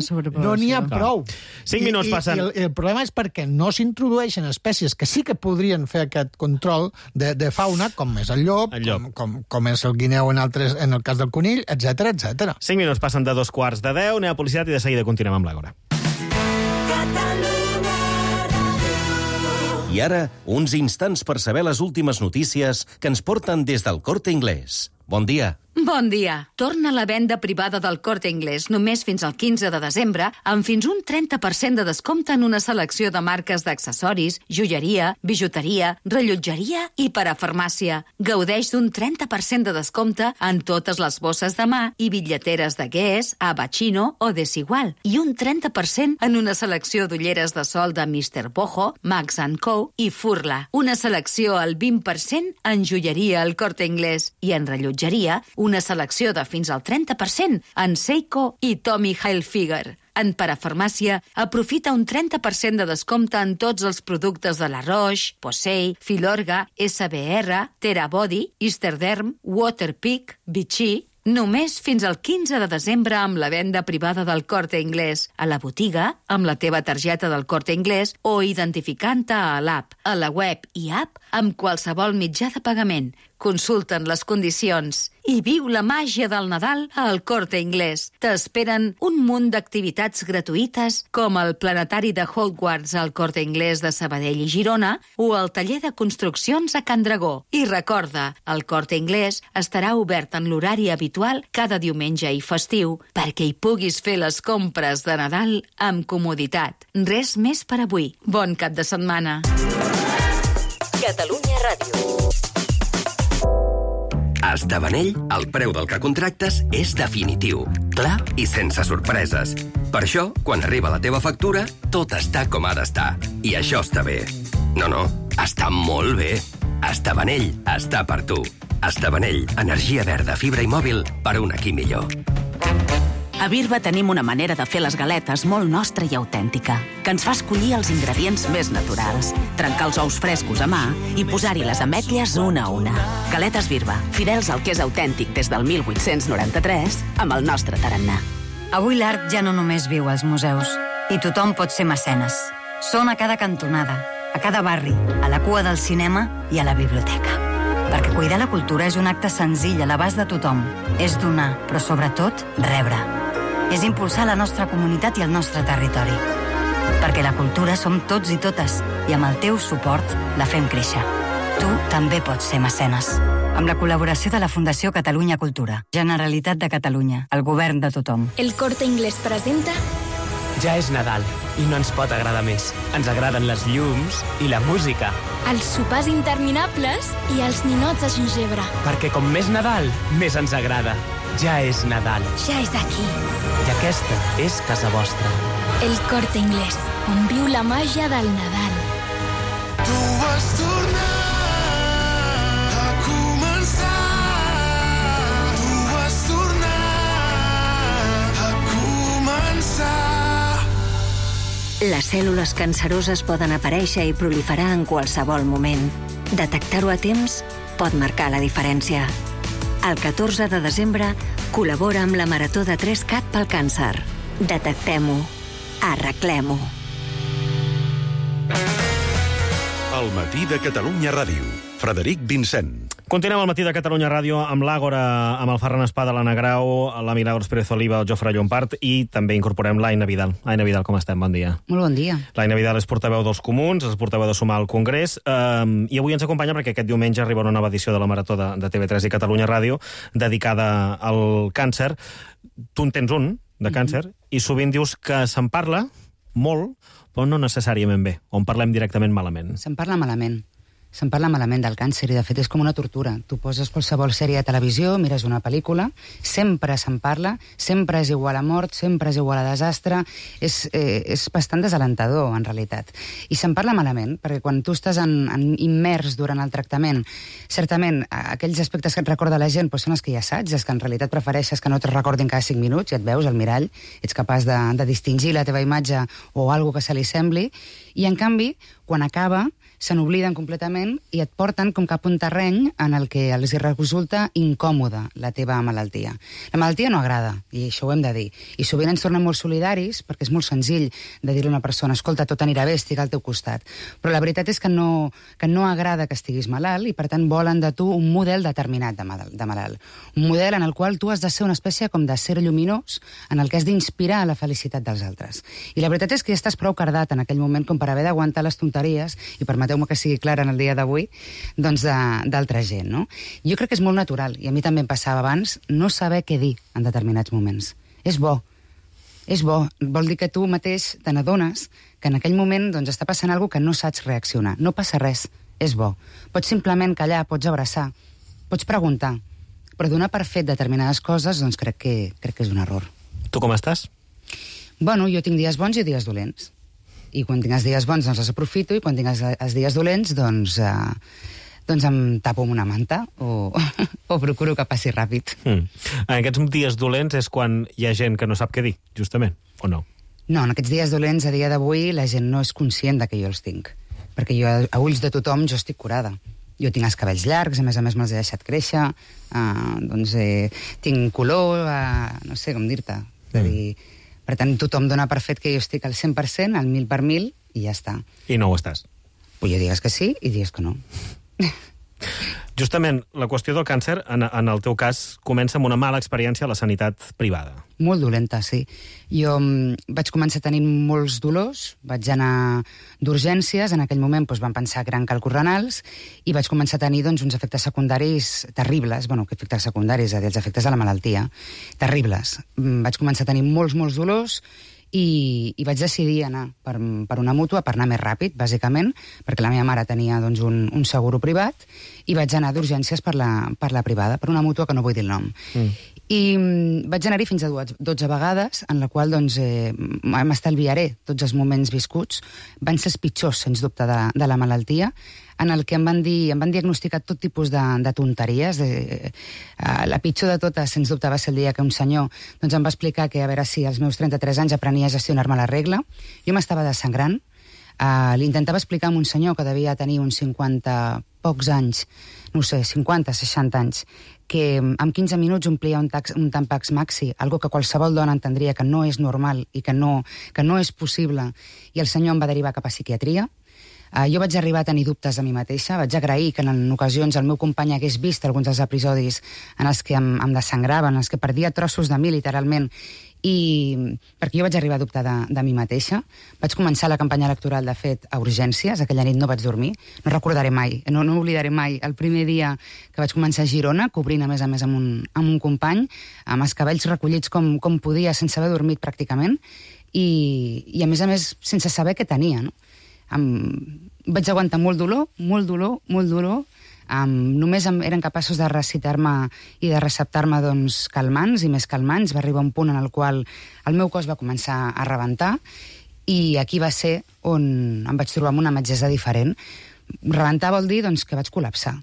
no n'hi ha prou. 5 minuts passen. I el problema és perquè no s'introdueixen espècies que sí que podrien fer aquest control de fauna, com és el llop, com és el guineu en el cas del conill, etc. 5 minuts passen de 2:15. Anem a publicitat i de seguida continuem amb l'Àgora. I ara, uns instants per saber les últimes notícies que ens porten des del Corte Inglés. Bon dia. Bon dia. Torna la venda privada del Corte Inglés només fins al 15 de desembre amb fins un 30% de descompte en una selecció de marques d'accessoris, joieria, bijuteria, rellotgeria i parafarmàcia. Gaudeix d'un 30% de descompte en totes les bosses de mà i bitlleteres de Guess, Abacino o Desigual i un 30% en una selecció d'ulleres de sol de Mr. Boho, Max & Co. i Furla. Una selecció al 20% en joieria al Corte Inglés i en rellotgeria una selecció de fins al 30% en Seiko i Tommy Hilfiger. En parafarmàcia, aprofita un 30% de descompte en tots els productes de La Roche, Posay, Filorga, SBR, Terabody, Easterderm, Waterpik, Vichy... Només fins al 15 de desembre amb la venda privada del Corte Inglés. A la botiga, amb la teva targeta del Corte Inglés o identificant-te a l'app, a la web i app amb qualsevol mitjà de pagament. Consulten les condicions i viu la màgia del Nadal al Corte Inglés. T'esperen un munt d'activitats gratuïtes com el planetari de Hogwarts al Corte Inglés de Sabadell i Girona o el taller de construccions a Can Dragó. I recorda, el Corte Inglés estarà obert en l'horari habitual cada diumenge i festiu perquè hi puguis fer les compres de Nadal amb comoditat. Res més per avui. Bon cap de setmana. Catalunya Ràdio. A Estabanell, el preu del que contractes és definitiu, clar i sense sorpreses. Per això, quan arriba la teva factura, tot està com ha d'estar. I això està bé. No, està molt bé. Estabanell està per tu. Estabanell, energia verda, fibra i mòbil per un aquí millor. A Birba tenim una manera de fer les galetes molt nostra i autèntica, que ens fa escollir els ingredients més naturals, trencar els ous frescos a mà i posar-hi les ametlles una a una. Galetes Birba, fidels al que és autèntic des del 1893, amb el nostre tarannà. Avui l'art ja no només viu als museus, i tothom pot ser mecenes. Són a cada cantonada, a cada barri, a la cua del cinema i a la biblioteca. Perquè cuidar la cultura és un acte senzill a l'abast de tothom. És donar, però sobretot rebre. És impulsar la nostra comunitat i el nostre territori. Perquè la cultura som tots i totes, i amb el teu suport la fem créixer. Tu també pots ser mecenes. Amb la col·laboració de la Fundació Catalunya Cultura, Generalitat de Catalunya, el govern de tothom. El Corte Inglés presenta... Ja és Nadal, i no ens pot agradar més. Ens agraden les llums i la música. Els sopars interminables i els ninots de gingebre. Perquè com més Nadal, més ens agrada. Ja és Nadal. Ja és aquí. I aquesta és casa vostra. El Corte Inglés, on viu la màgia del Nadal. Tu vas tornar a començar. Tu vas tornar a començar. Les cèl·lules canceroses poden aparèixer i proliferar en qualsevol moment. Detectar-ho a temps pot marcar la diferència. El 14 de desembre col·labora amb la Marató de 3CAT pel càncer. Detectem-ho. Arreglem-ho. El matí de Catalunya Ràdio. Frederic Vincent. Continuem al matí de Catalunya Ràdio amb l'Àgora, amb el Ferran Espada, l'Anna Grau, la Milagros Pérez Oliva, el Jofre Llompart, i també incorporem l'Aina Vidal. Aina Vidal, com estem? Bon dia. Molt bon dia. L'Aina Vidal és portaveu dels Comuns, és portaveu de Sumar al Congrés, i avui ens acompanya perquè aquest diumenge arriba una nova edició de la Marató de TV3 i Catalunya Ràdio dedicada al càncer. Tu en tens un, de càncer, i sovint dius que se'n parla molt, però no necessàriament bé, o en parlem directament malament. Se'n parla malament. Se'n parla malament del càncer i, de fet, és com una tortura. Tu poses qualsevol sèrie de televisió, mires una pel·lícula, sempre se'n parla, sempre és igual a mort, sempre és igual a desastre. És bastant desalentador, en realitat. I se'n parla malament, perquè quan tu estàs immers durant el tractament, certament, aquells aspectes que et recorda la gent són els que ja saps, els que en realitat prefereixes que no te'ls recordin cada 5 minuts, ja et veus al mirall, ets capaç de distingir la teva imatge o alguna que se li sembli, i, en canvi, quan acaba, se n'obliden completament i et porten com cap un terreny en el que els resulta incòmoda la teva malaltia. La malaltia no agrada, i això ho hem de dir. I sovint ens tornem molt solidaris, perquè és molt senzill de dir a una persona, escolta, tot anirà bé, estic al teu costat. Però la veritat és que no agrada que estiguis malalt i, per tant, volen de tu un model determinat de malalt. Un model en el qual tu has de ser una espècie com de ser lluminós, en el que has d'inspirar la felicitat dels altres. I la veritat és que ja estàs prou cardat en aquell moment com per haver d'aguantar les tonteries i, permeteu-me que sigui clara en el dia d'avui, doncs d'altra gent, no? Jo crec que és molt natural, i a mi també em passava abans, no saber què dir en determinats moments. És bo. És bo. Vol dir que tu mateix te n'adones que en aquell moment doncs, està passant alguna cosa que no saps reaccionar. No passa res. És bo. Pots simplement callar, pots abraçar, pots preguntar, però donar per fet determinades coses, doncs crec que és un error. Tu com estàs? Bueno, jo tinc dies bons i dies dolents. I quan tinc els dies bons, doncs els aprofito, i quan tinc els dies dolents, doncs em tapo amb una manta o procuro que passi ràpid. En aquests dies dolents és quan hi ha gent que no sap què dir, justament, o no? No, en aquests dies dolents, a dia d'avui, la gent no és conscient de que jo els tinc. Perquè jo, a ulls de tothom, jo estic curada. Jo tinc els cabells llargs, a més me'ls he deixat créixer, tinc color, no sé com dir-te. És a dir, per tant, tothom dona per fet que jo estic al 100%, al 1000 per 1000, i ja està. I no ho estàs? Pues jo digues que sí i digues que no. Justament, la qüestió del càncer, en el teu cas, comença amb una mala experiència a la sanitat privada. Molt dolenta, sí. Jo vaig començar tenint molts dolors, vaig anar d'urgències, en aquell moment van pensar que eren càlculs renals, i vaig començar a tenir uns efectes secundaris terribles, que efectes secundaris, els efectes de la malaltia, terribles. Vaig començar a tenir molts dolors, i vaig decidir anar per una mútua, per anar més ràpid, bàsicament, perquè la meva mare tenia un seguro privat, i vaig anar d'urgències per la privada, per una mútua que no vull dir el nom. I vaig anar-hi fins a 12 vegades, en la qual m'estalviaré tots els moments viscuts. Van ser els pitjors, sens dubte, de la malaltia, en el que em van diagnosticar tot tipus de tonteries. La pitjor de totes, sens dubte, va ser el dia que un senyor em va explicar que, a veure si als meus 33 anys aprenia a gestionar-me la regla. Jo m'estava desangrant. Li intentava explicar a un senyor que devia tenir uns 50 pocs anys, no sé, 50, 60 anys, que en 15 minuts omplia un Tampax Maxi, algo que qualsevol dona entendria que no és normal i que no és possible, i el senyor em va derivar cap a psiquiatria. Jo vaig arribar a tenir dubtes de mi mateixa, vaig agrair que en ocasions el meu company hagués vist alguns dels episodis en els que em desangraven, en els que perdia trossos de mi, literalment, perquè jo vaig arribar a dubtar de mi mateixa. Vaig començar la campanya electoral, de fet, a urgències. Aquella nit no vaig dormir. No recordaré mai, no oblidaré mai el primer dia que vaig començar a Girona, cobrint a més amb un company, amb els cabells recollits com podia, sense haver dormit pràcticament, i a més, sense saber què tenia, no? Vaig aguantar molt dolor, només eren capaços de recitar-me i de receptar-me calmants i més calmants. Va arribar un punt en el qual el meu cos va començar a rebentar, i aquí va ser on em vaig trobar amb una metgessa diferent. Rebentar vol dir que vaig col·lapsar.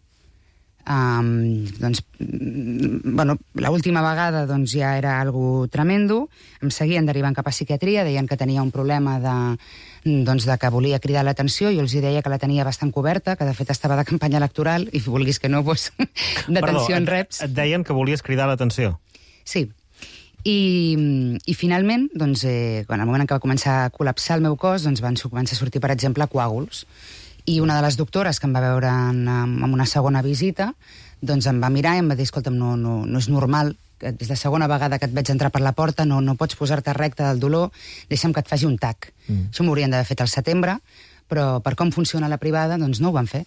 L'última vegada doncs, ja era algo tremendo, em seguien derivant cap a psiquiatria, deien que tenia un problema de que volia cridar l'atenció, jo els deia que la tenia bastant coberta, que de fet estava de campanya electoral, i vulguis que no, doncs, d'atenció en reps. Et deien que volies cridar l'atenció? Sí. I finalment, doncs, quan al moment en què va començar a col·lapsar el meu cos, doncs van començar a sortir, per exemple, coàguls. I una de les doctores que em va veure en una segona visita doncs em va mirar i em va dir, escolta'm, no és normal, és la segona vegada que et veig entrar per la porta, no pots posar-te recta del dolor, deixa'm que et faci un TAC. Això m'haurien d'haver fet al setembre, però per com funciona la privada, doncs no ho van fer.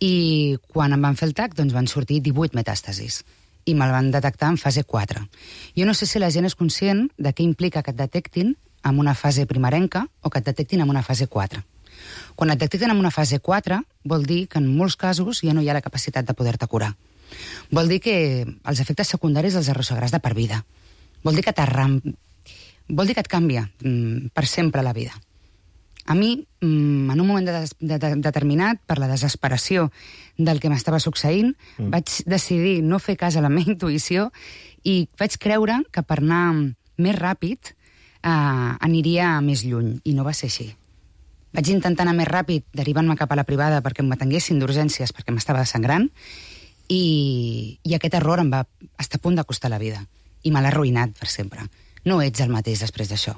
I quan em van fer el TAC, doncs van sortir 18 metàstasis i me'l van detectar en fase 4. Jo no sé si la gent és conscient de què implica que et detectin en una fase primerenca o que et detectin en una fase 4. Quan et detecten en una fase 4, vol dir que en molts casos ja no hi ha la capacitat de poder-te curar. Vol dir que els efectes secundaris els arrossegaràs de per vida. Vol dir que et canvia per sempre la vida. A mi, en un moment determinat, per la desesperació del que m'estava succeint, vaig decidir no fer cas a la meva intuïció i vaig creure que per anar més ràpid aniria més lluny, i no va ser així. Vaig intentar anar més ràpid, derivant-me cap a la privada perquè m'atenguessin d'urgències, perquè m'estava desangrant, i aquest error em va estar a punt de costar la vida. I me l'ha arruïnat per sempre. No ets el mateix després d'això.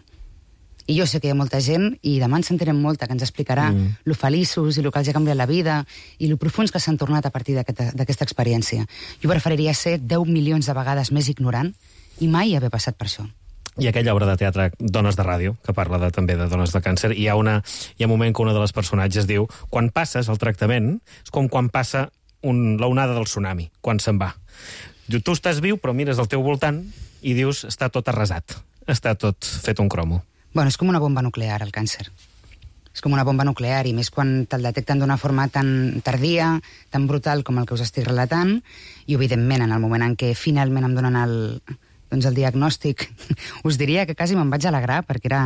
I jo sé que hi ha molta gent, i demà ens sentirem molta, que ens explicarà lo feliços i lo que els ha canviat la vida i lo profuns que s'han tornat a partir d'aquesta experiència. Jo preferiria ser 10 milions de vegades més ignorant i mai haver passat per això. I aquella obra de teatre Dones de Ràdio, que parla també de dones de càncer, hi ha un moment que una de les personatges diu quan passes el tractament és com quan passa l'onada del tsunami, quan se'n va. Tu estàs viu, però mires al teu voltant i dius, està tot arrasat, està tot fet un cromo. Bueno, és com una bomba nuclear, el càncer. És com una bomba nuclear, i més quan te'l detecten d'una forma tan tardia, tan brutal com el que us estic relatant, i evidentment en el moment en què finalment em donen el diagnòstic, us diria que quasi me'n vaig alegrar, perquè era,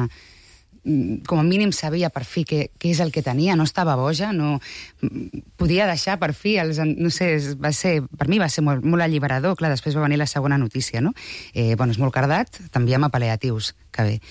com a mínim sabia per fi què és el que tenia, no estava boja, no podia deixar per fi, no sé, per mi va ser molt alliberador. Clar, després va venir la segona notícia, no? És molt cardat, t'enviem a pal·liatius, que bé.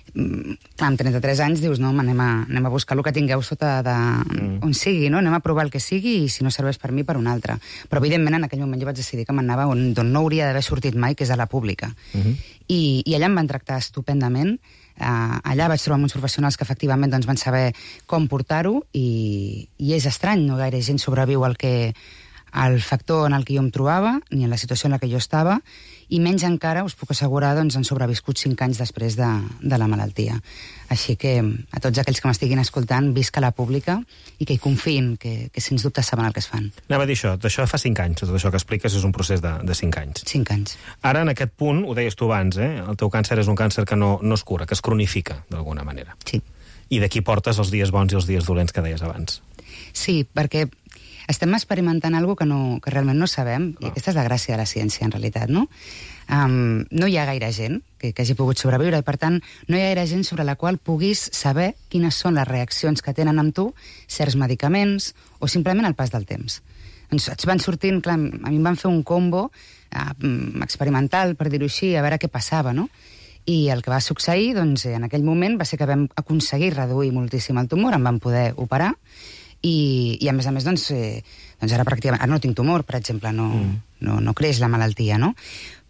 Amb 33 anys dius, no, anem a buscar el que tingueu sota on sigui, no? Anem a provar el que sigui, i si no serveix per mi, per un altre. Però evidentment en aquell moment jo vaig decidir que m'anava d'on no hauria d'haver sortit mai, que és a la pública. I allà em van tractar estupendament. Allà vaig trobar uns professionals que efectivament van saber com portar-ho, i és estrany, no gaire gent sobreviu al factor en el que jo em trobava, ni en la situació en la que jo estava, i menys encara, us puc assegurar, han sobreviscut 5 anys després de la malaltia. Així que a tots aquells que m'estiguin escoltant, visca la pública i que hi confiïn, que sens dubte saben el que es fan. Anava a dir això fa 5 anys, tot això que expliques és un procés de 5 anys. 5 anys. Ara, en aquest punt, ho deies tu abans, el teu càncer és un càncer que no es cura, que es cronifica, d'alguna manera. Sí. I d'aquí portes els dies bons i els dies dolents que deies abans. Sí, perquè estem experimentant alguna cosa que realment no sabem, i aquesta és la gràcia de la ciència, en realitat, no? No hi ha gaire gent que hagi pogut sobreviure, i per tant no hi ha gaire gent sobre la qual puguis saber quines són les reaccions que tenen amb tu certs medicaments o simplement el pas del temps. Ens van sortint, clar, a mi em van fer un combo experimental, per dir-ho així, a veure què passava, no? I el que va succeir, en aquell moment, va ser que vam aconseguir reduir moltíssim el tumor, em van poder operar, i a més, ara pràcticament... Ara no tinc tumor, per exemple, no creix la malaltia, no?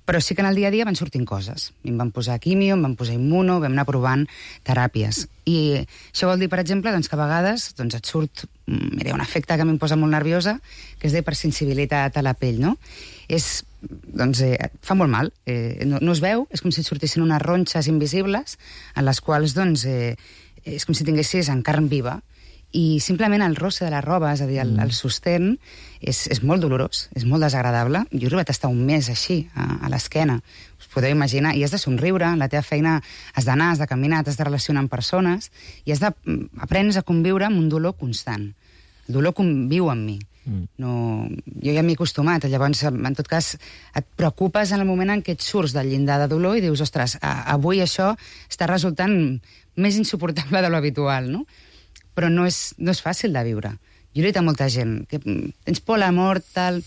Però sí que en el dia a dia van sortint coses. Em van posar quimio, em van posar immuno, vam anar provant teràpies. I això vol dir, per exemple, que a vegades et surt... Mira, un efecte que a mi em posa molt nerviosa, que és d'hipersensibilitat a la pell, no? Fa molt mal. No es veu, és com si et sortissin unes ronxes invisibles, en les quals, és com si tinguessis en carn viva. I simplement el rosse de la roba, és a dir, el sostén, és molt dolorós, és molt desagradable. Jo he arribat a estar un mes així, a l'esquena, us podeu imaginar, i has de somriure, la teva feina has d'anar, has de caminar, t'has de relacionar amb persones, i aprens a conviure amb un dolor constant. El dolor conviu amb mi. Jo ja m'hi he acostumat, llavors, en tot cas, et preocupes en el moment en què et surts del llindar de dolor i dius, ostres, avui això està resultant més insuportable de l'habitual, no? Però no és fàcil de viure. Jo he dit a molta gent que tens por a la mort, tal...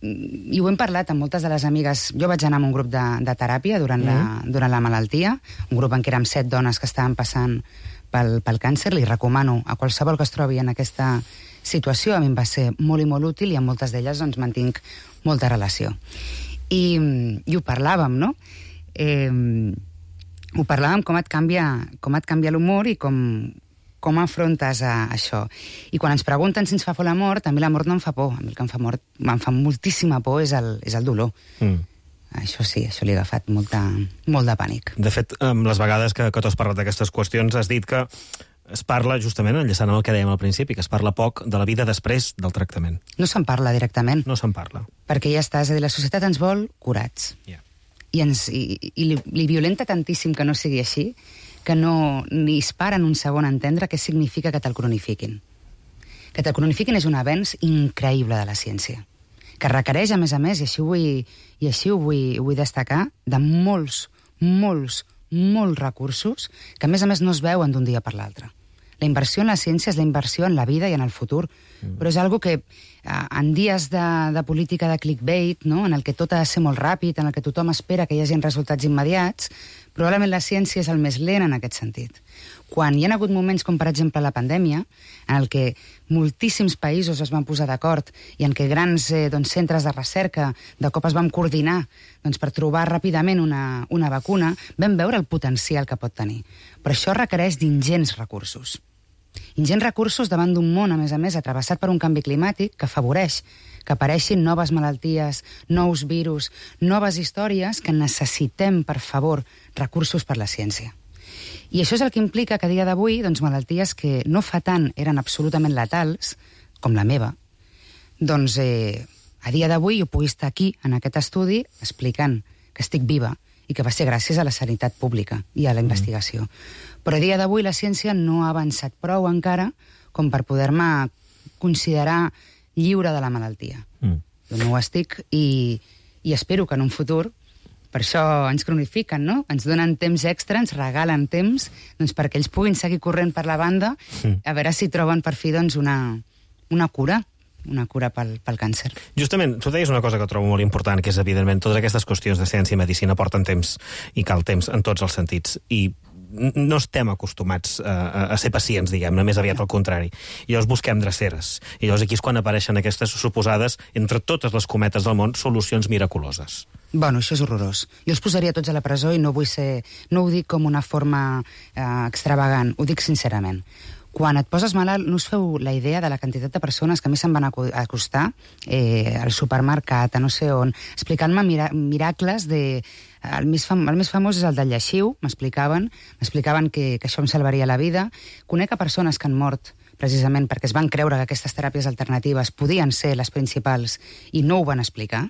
I ho hem parlat amb moltes de les amigues. Jo vaig anar a un grup de teràpia durant la malaltia, un grup en què érem 7 dones que estaven passant pel càncer. Li recomano a qualsevol que es trobi en aquesta situació. A mi em va ser molt i molt útil i amb moltes d'elles doncs, mantinc molta relació. I ho parlàvem, no? Ho parlàvem com et canvia l'humor i com afrontes això. I quan ens pregunten si ens fa por la mort, a mi la mort no em fa por. A mi el que em fa moltíssima por és el dolor. Això sí, això li ha agafat molt de pànic. De fet, les vegades que tu has parlat d'aquestes qüestions, has dit que es parla, justament, enllaçant amb el que dèiem al principi, que es parla poc de la vida després del tractament. No se'n parla directament. No se'n parla. Perquè ja està, és a dir, la societat ens vol curats. I li violenta tantíssim que no sigui així, que ni es paren un segon a entendre què significa que te'l cronifiquin. Que te'l cronifiquin és un avenç increïble de la ciència, que requereix, a més, i així ho vull destacar, de molts recursos que, a més, no es veuen d'un dia per l'altre. La inversió en la ciència és la inversió en la vida i en el futur, però és algo que en dies de política de clickbait, no? En el que tot ha de ser molt ràpid, en el que tothom espera que hi hagi resultats immediats, probablement la ciència és el més lent en aquest sentit. Quan hi ha hagut moments com, per exemple, la pandèmia, en el que moltíssims països es van posar d'acord i en què grans centres de recerca de cop es van coordinar per trobar ràpidament una vacuna, vam veure el potencial que pot tenir. Però això requereix d'ingents recursos. Ingents recursos davant d'un món, a més, atravessat per un canvi climàtic que afavoreix que apareixin noves malalties, nous virus, noves històries que necessitem, per favor, recursos per la ciència. I això és el que implica que a dia d'avui, malalties que no fa tant eren absolutament letals, com la meva, a dia d'avui jo pugui estar aquí, en aquest estudi, explicant que estic viva i que va ser gràcies a la sanitat pública i a la investigació. Però a dia d'avui la ciència no ha avançat prou encara com per poder-me considerar lliure de la malaltia. Jo no ho estic i espero que en un futur, per això ens cronifiquen, no? Ens donen temps extra, ens regalen temps perquè ells puguin seguir corrent per la banda a veure si troben per fi una cura pel càncer. Justament, tu deies una cosa que trobo molt important, que és, evidentment, totes aquestes qüestions de ciència i medicina porten temps, i cal temps en tots els sentits, i no estem acostumats a ser pacients, diguem-ne, més aviat al contrari. I llavors busquem dreceres. I llavors aquí és quan apareixen aquestes suposades, entre totes les cometes del món, solucions miraculoses. Bueno, això és horrorós. Jo els posaria tots a la presó i no ho dic com una forma extravagant, ho dic sincerament. Quan et poses malalt, no us feu la idea de la quantitat de persones que a mi se'n van acostar al supermercat, a no sé on, explicant-me miracles de... El més famós és el del lleixiu, m'explicaven que això em salvaria la vida. Conec a persones que han mort precisament perquè es van creure que aquestes teràpies alternatives podien ser les principals i no ho van explicar.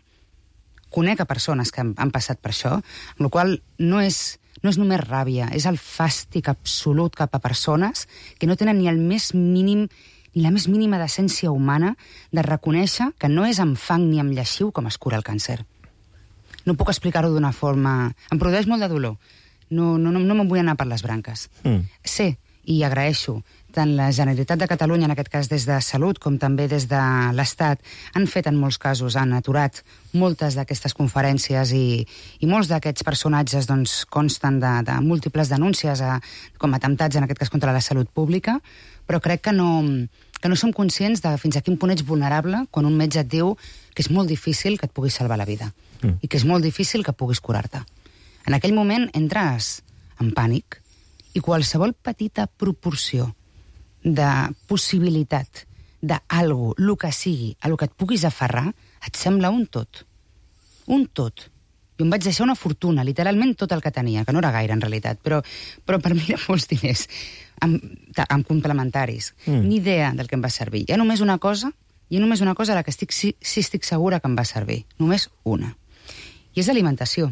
Conec a persones que han passat per això, amb la qual no és només ràbia, és el fàstic absolut cap a persones que no tenen ni la més mínima decència humana de reconèixer que no és amb fang ni amb lleixiu com es cura el càncer. No puc explicar-ho d'una forma... Em produeix molt de dolor. No me'n vull anar per les branques. Sé i agraeixo tant la Generalitat de Catalunya, en aquest cas des de Salut, com també des de l'Estat, han fet en molts casos, han aturat moltes d'aquestes conferències i molts d'aquests personatges consten de múltiples denúncies com atemptats, en aquest cas contra la salut pública, però crec que no som conscients de fins a quin punt ets vulnerable quan un metge et diu que és molt difícil que et puguis salvar la vida i que és molt difícil que puguis curar-te. En aquell moment entres en pànic i qualsevol petita proporció de possibilitat d'algo, el que sigui, a lo que et puguis aferrar, et sembla un tot. Un tot. Jo em vaig deixar una fortuna, literalment tot el que tenia, que no era gaire en realitat, però per mi eren molts diners, amb complementaris. Ni idea del que em va servir. Hi ha només una cosa a la que estic segura que em va servir. Només una. I és alimentació.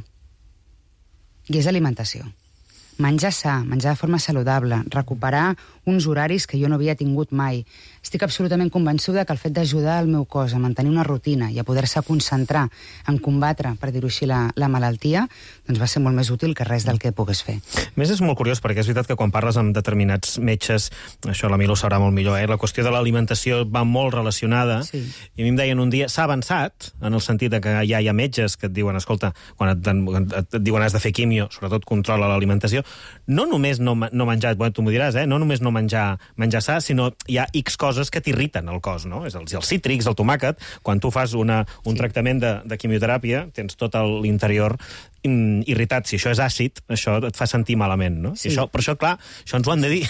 menjar sa, menjar de forma saludable, recuperar uns horaris que jo no havia tingut mai. Estic absolutament convençuda que el fet d'ajudar el meu cos a mantenir una rutina i a poder-se concentrar en combatre, per dir-ho així, la malaltia, doncs va ser molt més útil que res del que pogués fer. A més, és molt curiós, perquè és veritat que quan parles amb determinats metges, això la Milo ho sabrà molt millor, la qüestió de l'alimentació va molt relacionada, i a mi em deien un dia, s'ha avançat, en el sentit que ja hi ha metges que et diuen, escolta, quan et diuen has de fer quimio, sobretot controla l'alimentació, no només no menjar, tu m'ho diràs, no només no menjar sa, sinó hi ha X coses que t'irriten el cos, no? És els cítrics, el tomàquet, quan tu fas un tractament de quimioteràpia, tens tot l'interior irritat. Si això és àcid, això et fa sentir malament, no? Sí. Per això, clar, això ens ho han de dir.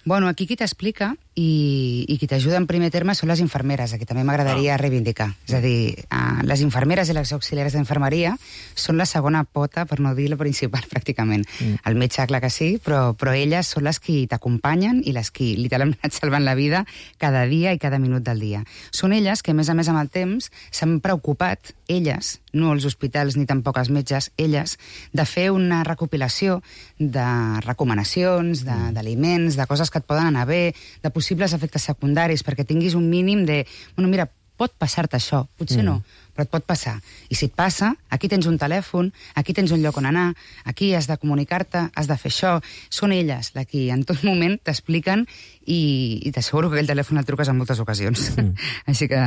Bueno, aquí qui t'explica i qui t'ajuda en primer terme són les infermeres, aquí també m'agradaria reivindicar. És a dir, les infermeres i les auxiliares d'infermeria són la segona pota, per no dir la principal, pràcticament. El metge, clar que sí, però elles són les qui t'acompanyen i les qui literalment et salven la vida cada dia i cada minut del dia. Són elles que, a més amb el temps, s'han preocupat, elles, no els hospitals ni tampoc els metges, elles, de fer una recopilació de recomanacions, d'aliments, de coses que et poden anar bé, de possibles efectes secundaris, perquè tinguis un mínim de... Bueno, mira, pot passar-te això, potser no, però et pot passar. I si et passa, aquí tens un telèfon, aquí tens un lloc on anar, aquí has de comunicar-te, has de fer això. Són elles les que en tot moment t'expliquen i t'asseguro que aquell telèfon el truques en moltes ocasions. Així que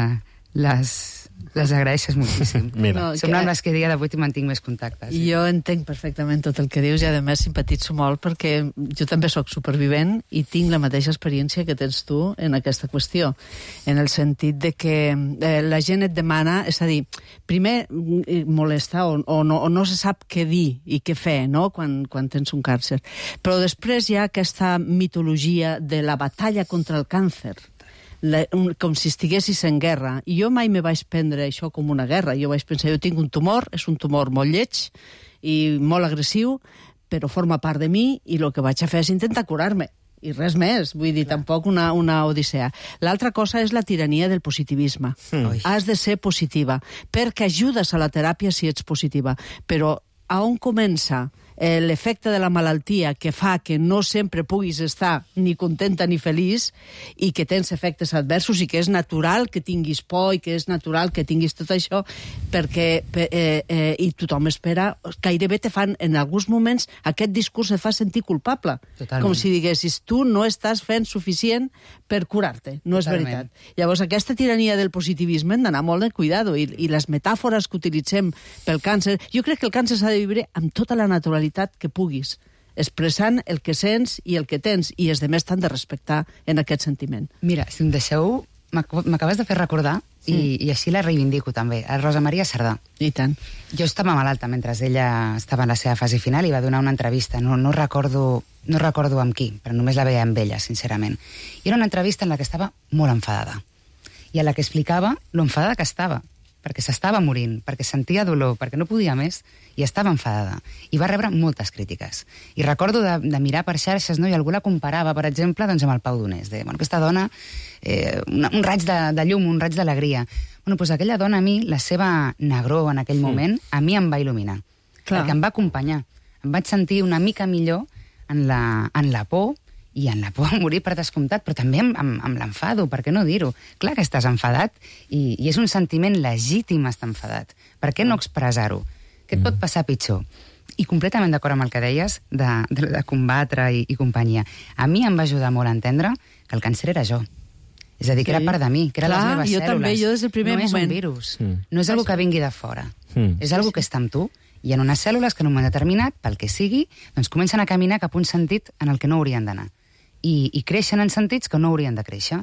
les agraeixes moltíssim. Som amb les que a dia d'avui mantinc més contactes. Jo entenc perfectament tot el que dius i, a més, simpatitzo molt perquè jo també sóc supervivent i tinc la mateixa experiència que tens tu en aquesta qüestió, en el sentit de que la gent et demana, és a dir, primer molesta o no se sap què dir i què fer, no?, quan tens un càncer. Però després hi ha aquesta mitologia de la batalla contra el càncer, com si estiguessis en guerra. I jo mai me vaig prendre això com una guerra. Jo vaig pensar, jo tinc un tumor, és un tumor molt lleig i molt agressiu, però forma part de mi i el que vaig a fer és intentar curar-me. I res més, vull dir, tampoc una odissea. L'altra cosa és la tirania del positivisme. Has de ser positiva, perquè ajudes a la teràpia si ets positiva. Però a on comença l'efecte de la malaltia que fa que no sempre puguis estar ni contenta ni feliç i que tens efectes adversos i que és natural que tinguis por i que és natural que tinguis tot això perquè i tothom espera, gairebé te fan en alguns moments aquest discurs et fa sentir culpable. Totalment. Com si diguessis tu no estàs fent suficient per curar-te. No és veritat. Llavors aquesta tirania del positivisme hem d'anar molt de cuidado i les metàfores que utilitzem pel càncer, jo crec que el càncer s'ha de viure amb tota la naturalitat que puguis, expressant el que sents i el que tens, i els demés t'han de respectar en aquest sentiment. Mira, si em deixeu, m'acabes de fer recordar, i així la reivindico també, a Rosa Maria Sardà. I tant. Jo estava malalta mentre ella estava en la seva fase final i va donar una entrevista, no recordo amb qui, però només la veia amb ella, sincerament. I era una entrevista en la que estava molt enfadada, i en la que explicava lo enfadada que estava, perquè s'estava morint, perquè sentia dolor, perquè no podia més, i estava enfadada. I va rebre moltes crítiques. I recordo de mirar per xarxes, no? I algú la comparava, per exemple, doncs, amb el Pau Donés. Aquesta dona, un raig de llum, un raig d'alegria. Doncs aquella dona, a mi, la seva negror en aquell moment, a mi em va il·luminar. Clar. Perquè em va acompanyar. Em vaig sentir una mica millor en la por, i en la por a morir per descomptat, però també amb l'enfado, per què no dir-ho? Clar que estàs enfadat i és un sentiment legítim estar enfadat. Per què no expressar-ho? Què et pot passar pitjor? I completament d'acord amb el que deies de combatre i companyia. A mi em va ajudar molt a entendre que el càncer era jo. És a dir, que era part de mi, que eren les meves cèl·lules. També, jo des del primer moment. No és un virus, no és algo que vingui de fora. És algo que està amb tu, i en unes cèl·lules que en un moment determinat, pel que sigui, doncs comencen a caminar cap a un sentit en el que no haurien d'anar. I creixen en sentits que no haurien de créixer.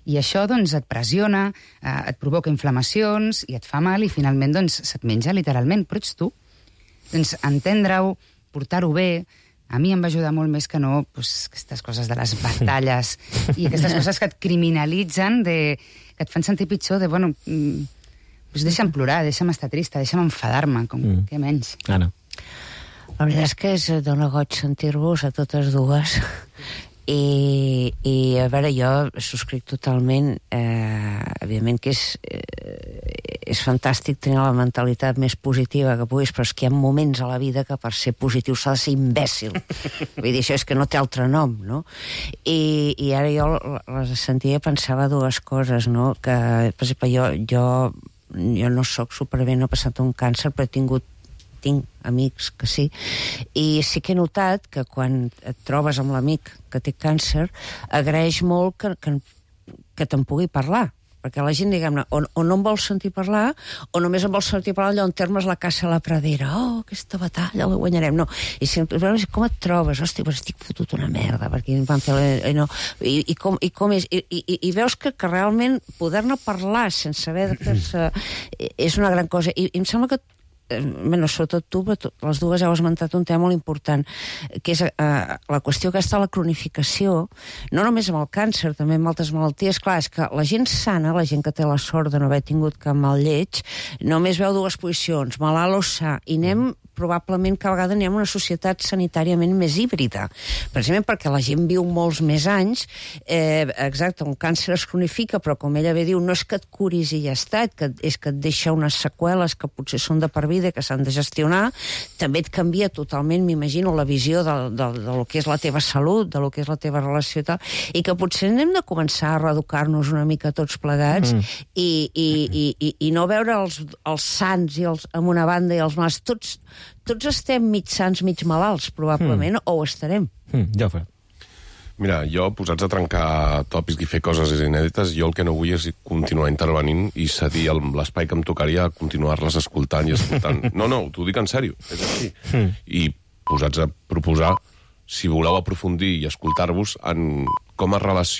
I això, doncs, et pressiona, et provoca inflamacions, i et fa mal, i finalment, doncs, se't menja literalment, però ets tu. Doncs, entendre-ho, portar-ho bé, a mi em va ajudar molt més que no aquestes coses de les batalles i aquestes coses que et criminalitzen, que et fan sentir pitjor, bueno, deixa'm plorar, deixa'm estar trista, deixa'm enfadar-me, què menys. Anna. La veritat és que dona goig sentir-vos a totes dues. I a veure, jo subscric totalment, evidentment que és fantàstic tenir la mentalitat més positiva que puguis, però és que hi ha moments a la vida que per ser positiu s'ha de ser imbècil. Vull dir, això és que no té altre nom, no? I ara jo les sentia i pensava dues coses, no? Que, per exemple, jo no sóc supervivent, no he passat un càncer, però tinc amics que sí, i sí que he notat que quan et trobes amb l'amic que té càncer, agraeix molt que te'n pugui parlar, perquè la gent, diguem-ne, o no em vol sentir parlar, o només em vol sentir parlar allò en termes la caça a la pradera, aquesta batalla la guanyarem, no. I sempre, com et trobes? Hòstia, pues estic fotut una merda, perquè em van fer... I com és? I veus que realment poder-ne parlar sense haver de fer-se és una gran cosa. I em sembla que sobretot tu, les dues heu esmentat un tema molt important, que és la qüestió aquesta de la cronificació, no només amb el càncer, també amb altres malalties. Clar, és que la gent sana, la gent que té la sort de no haver tingut cap mal lleig, només veu dues posicions, malalt o sa, i anem probablement cada vegada anem a una societat sanitàriament més híbrida, precisament perquè la gent viu molts més anys, exacte, un càncer es cronifica, però com ella bé diu, no és que et curis i ja està, és que et deixa unes seqüeles que potser són de per vida, que s'han de gestionar, també et canvia totalment, m'imagino, la visió de lo que és la teva salut, de lo que és la teva relació i tal, i que potser hem de començar a reeducar-nos una mica tots plegats i no veure els sants i amb una banda i els mals, tots estem mig sants, mig malalts, probablement, o ho estarem. Jofre. Mira, jo, posats a trencar tòpics i fer coses inèdites, jo el que no vull és continuar intervenint i cedir l'espai que em tocaria a continuar-les escoltant i escoltant. No, t'ho dic en sèrio, és així. I posats a proposar, si voleu aprofundir i escoltar-vos en com es relaciona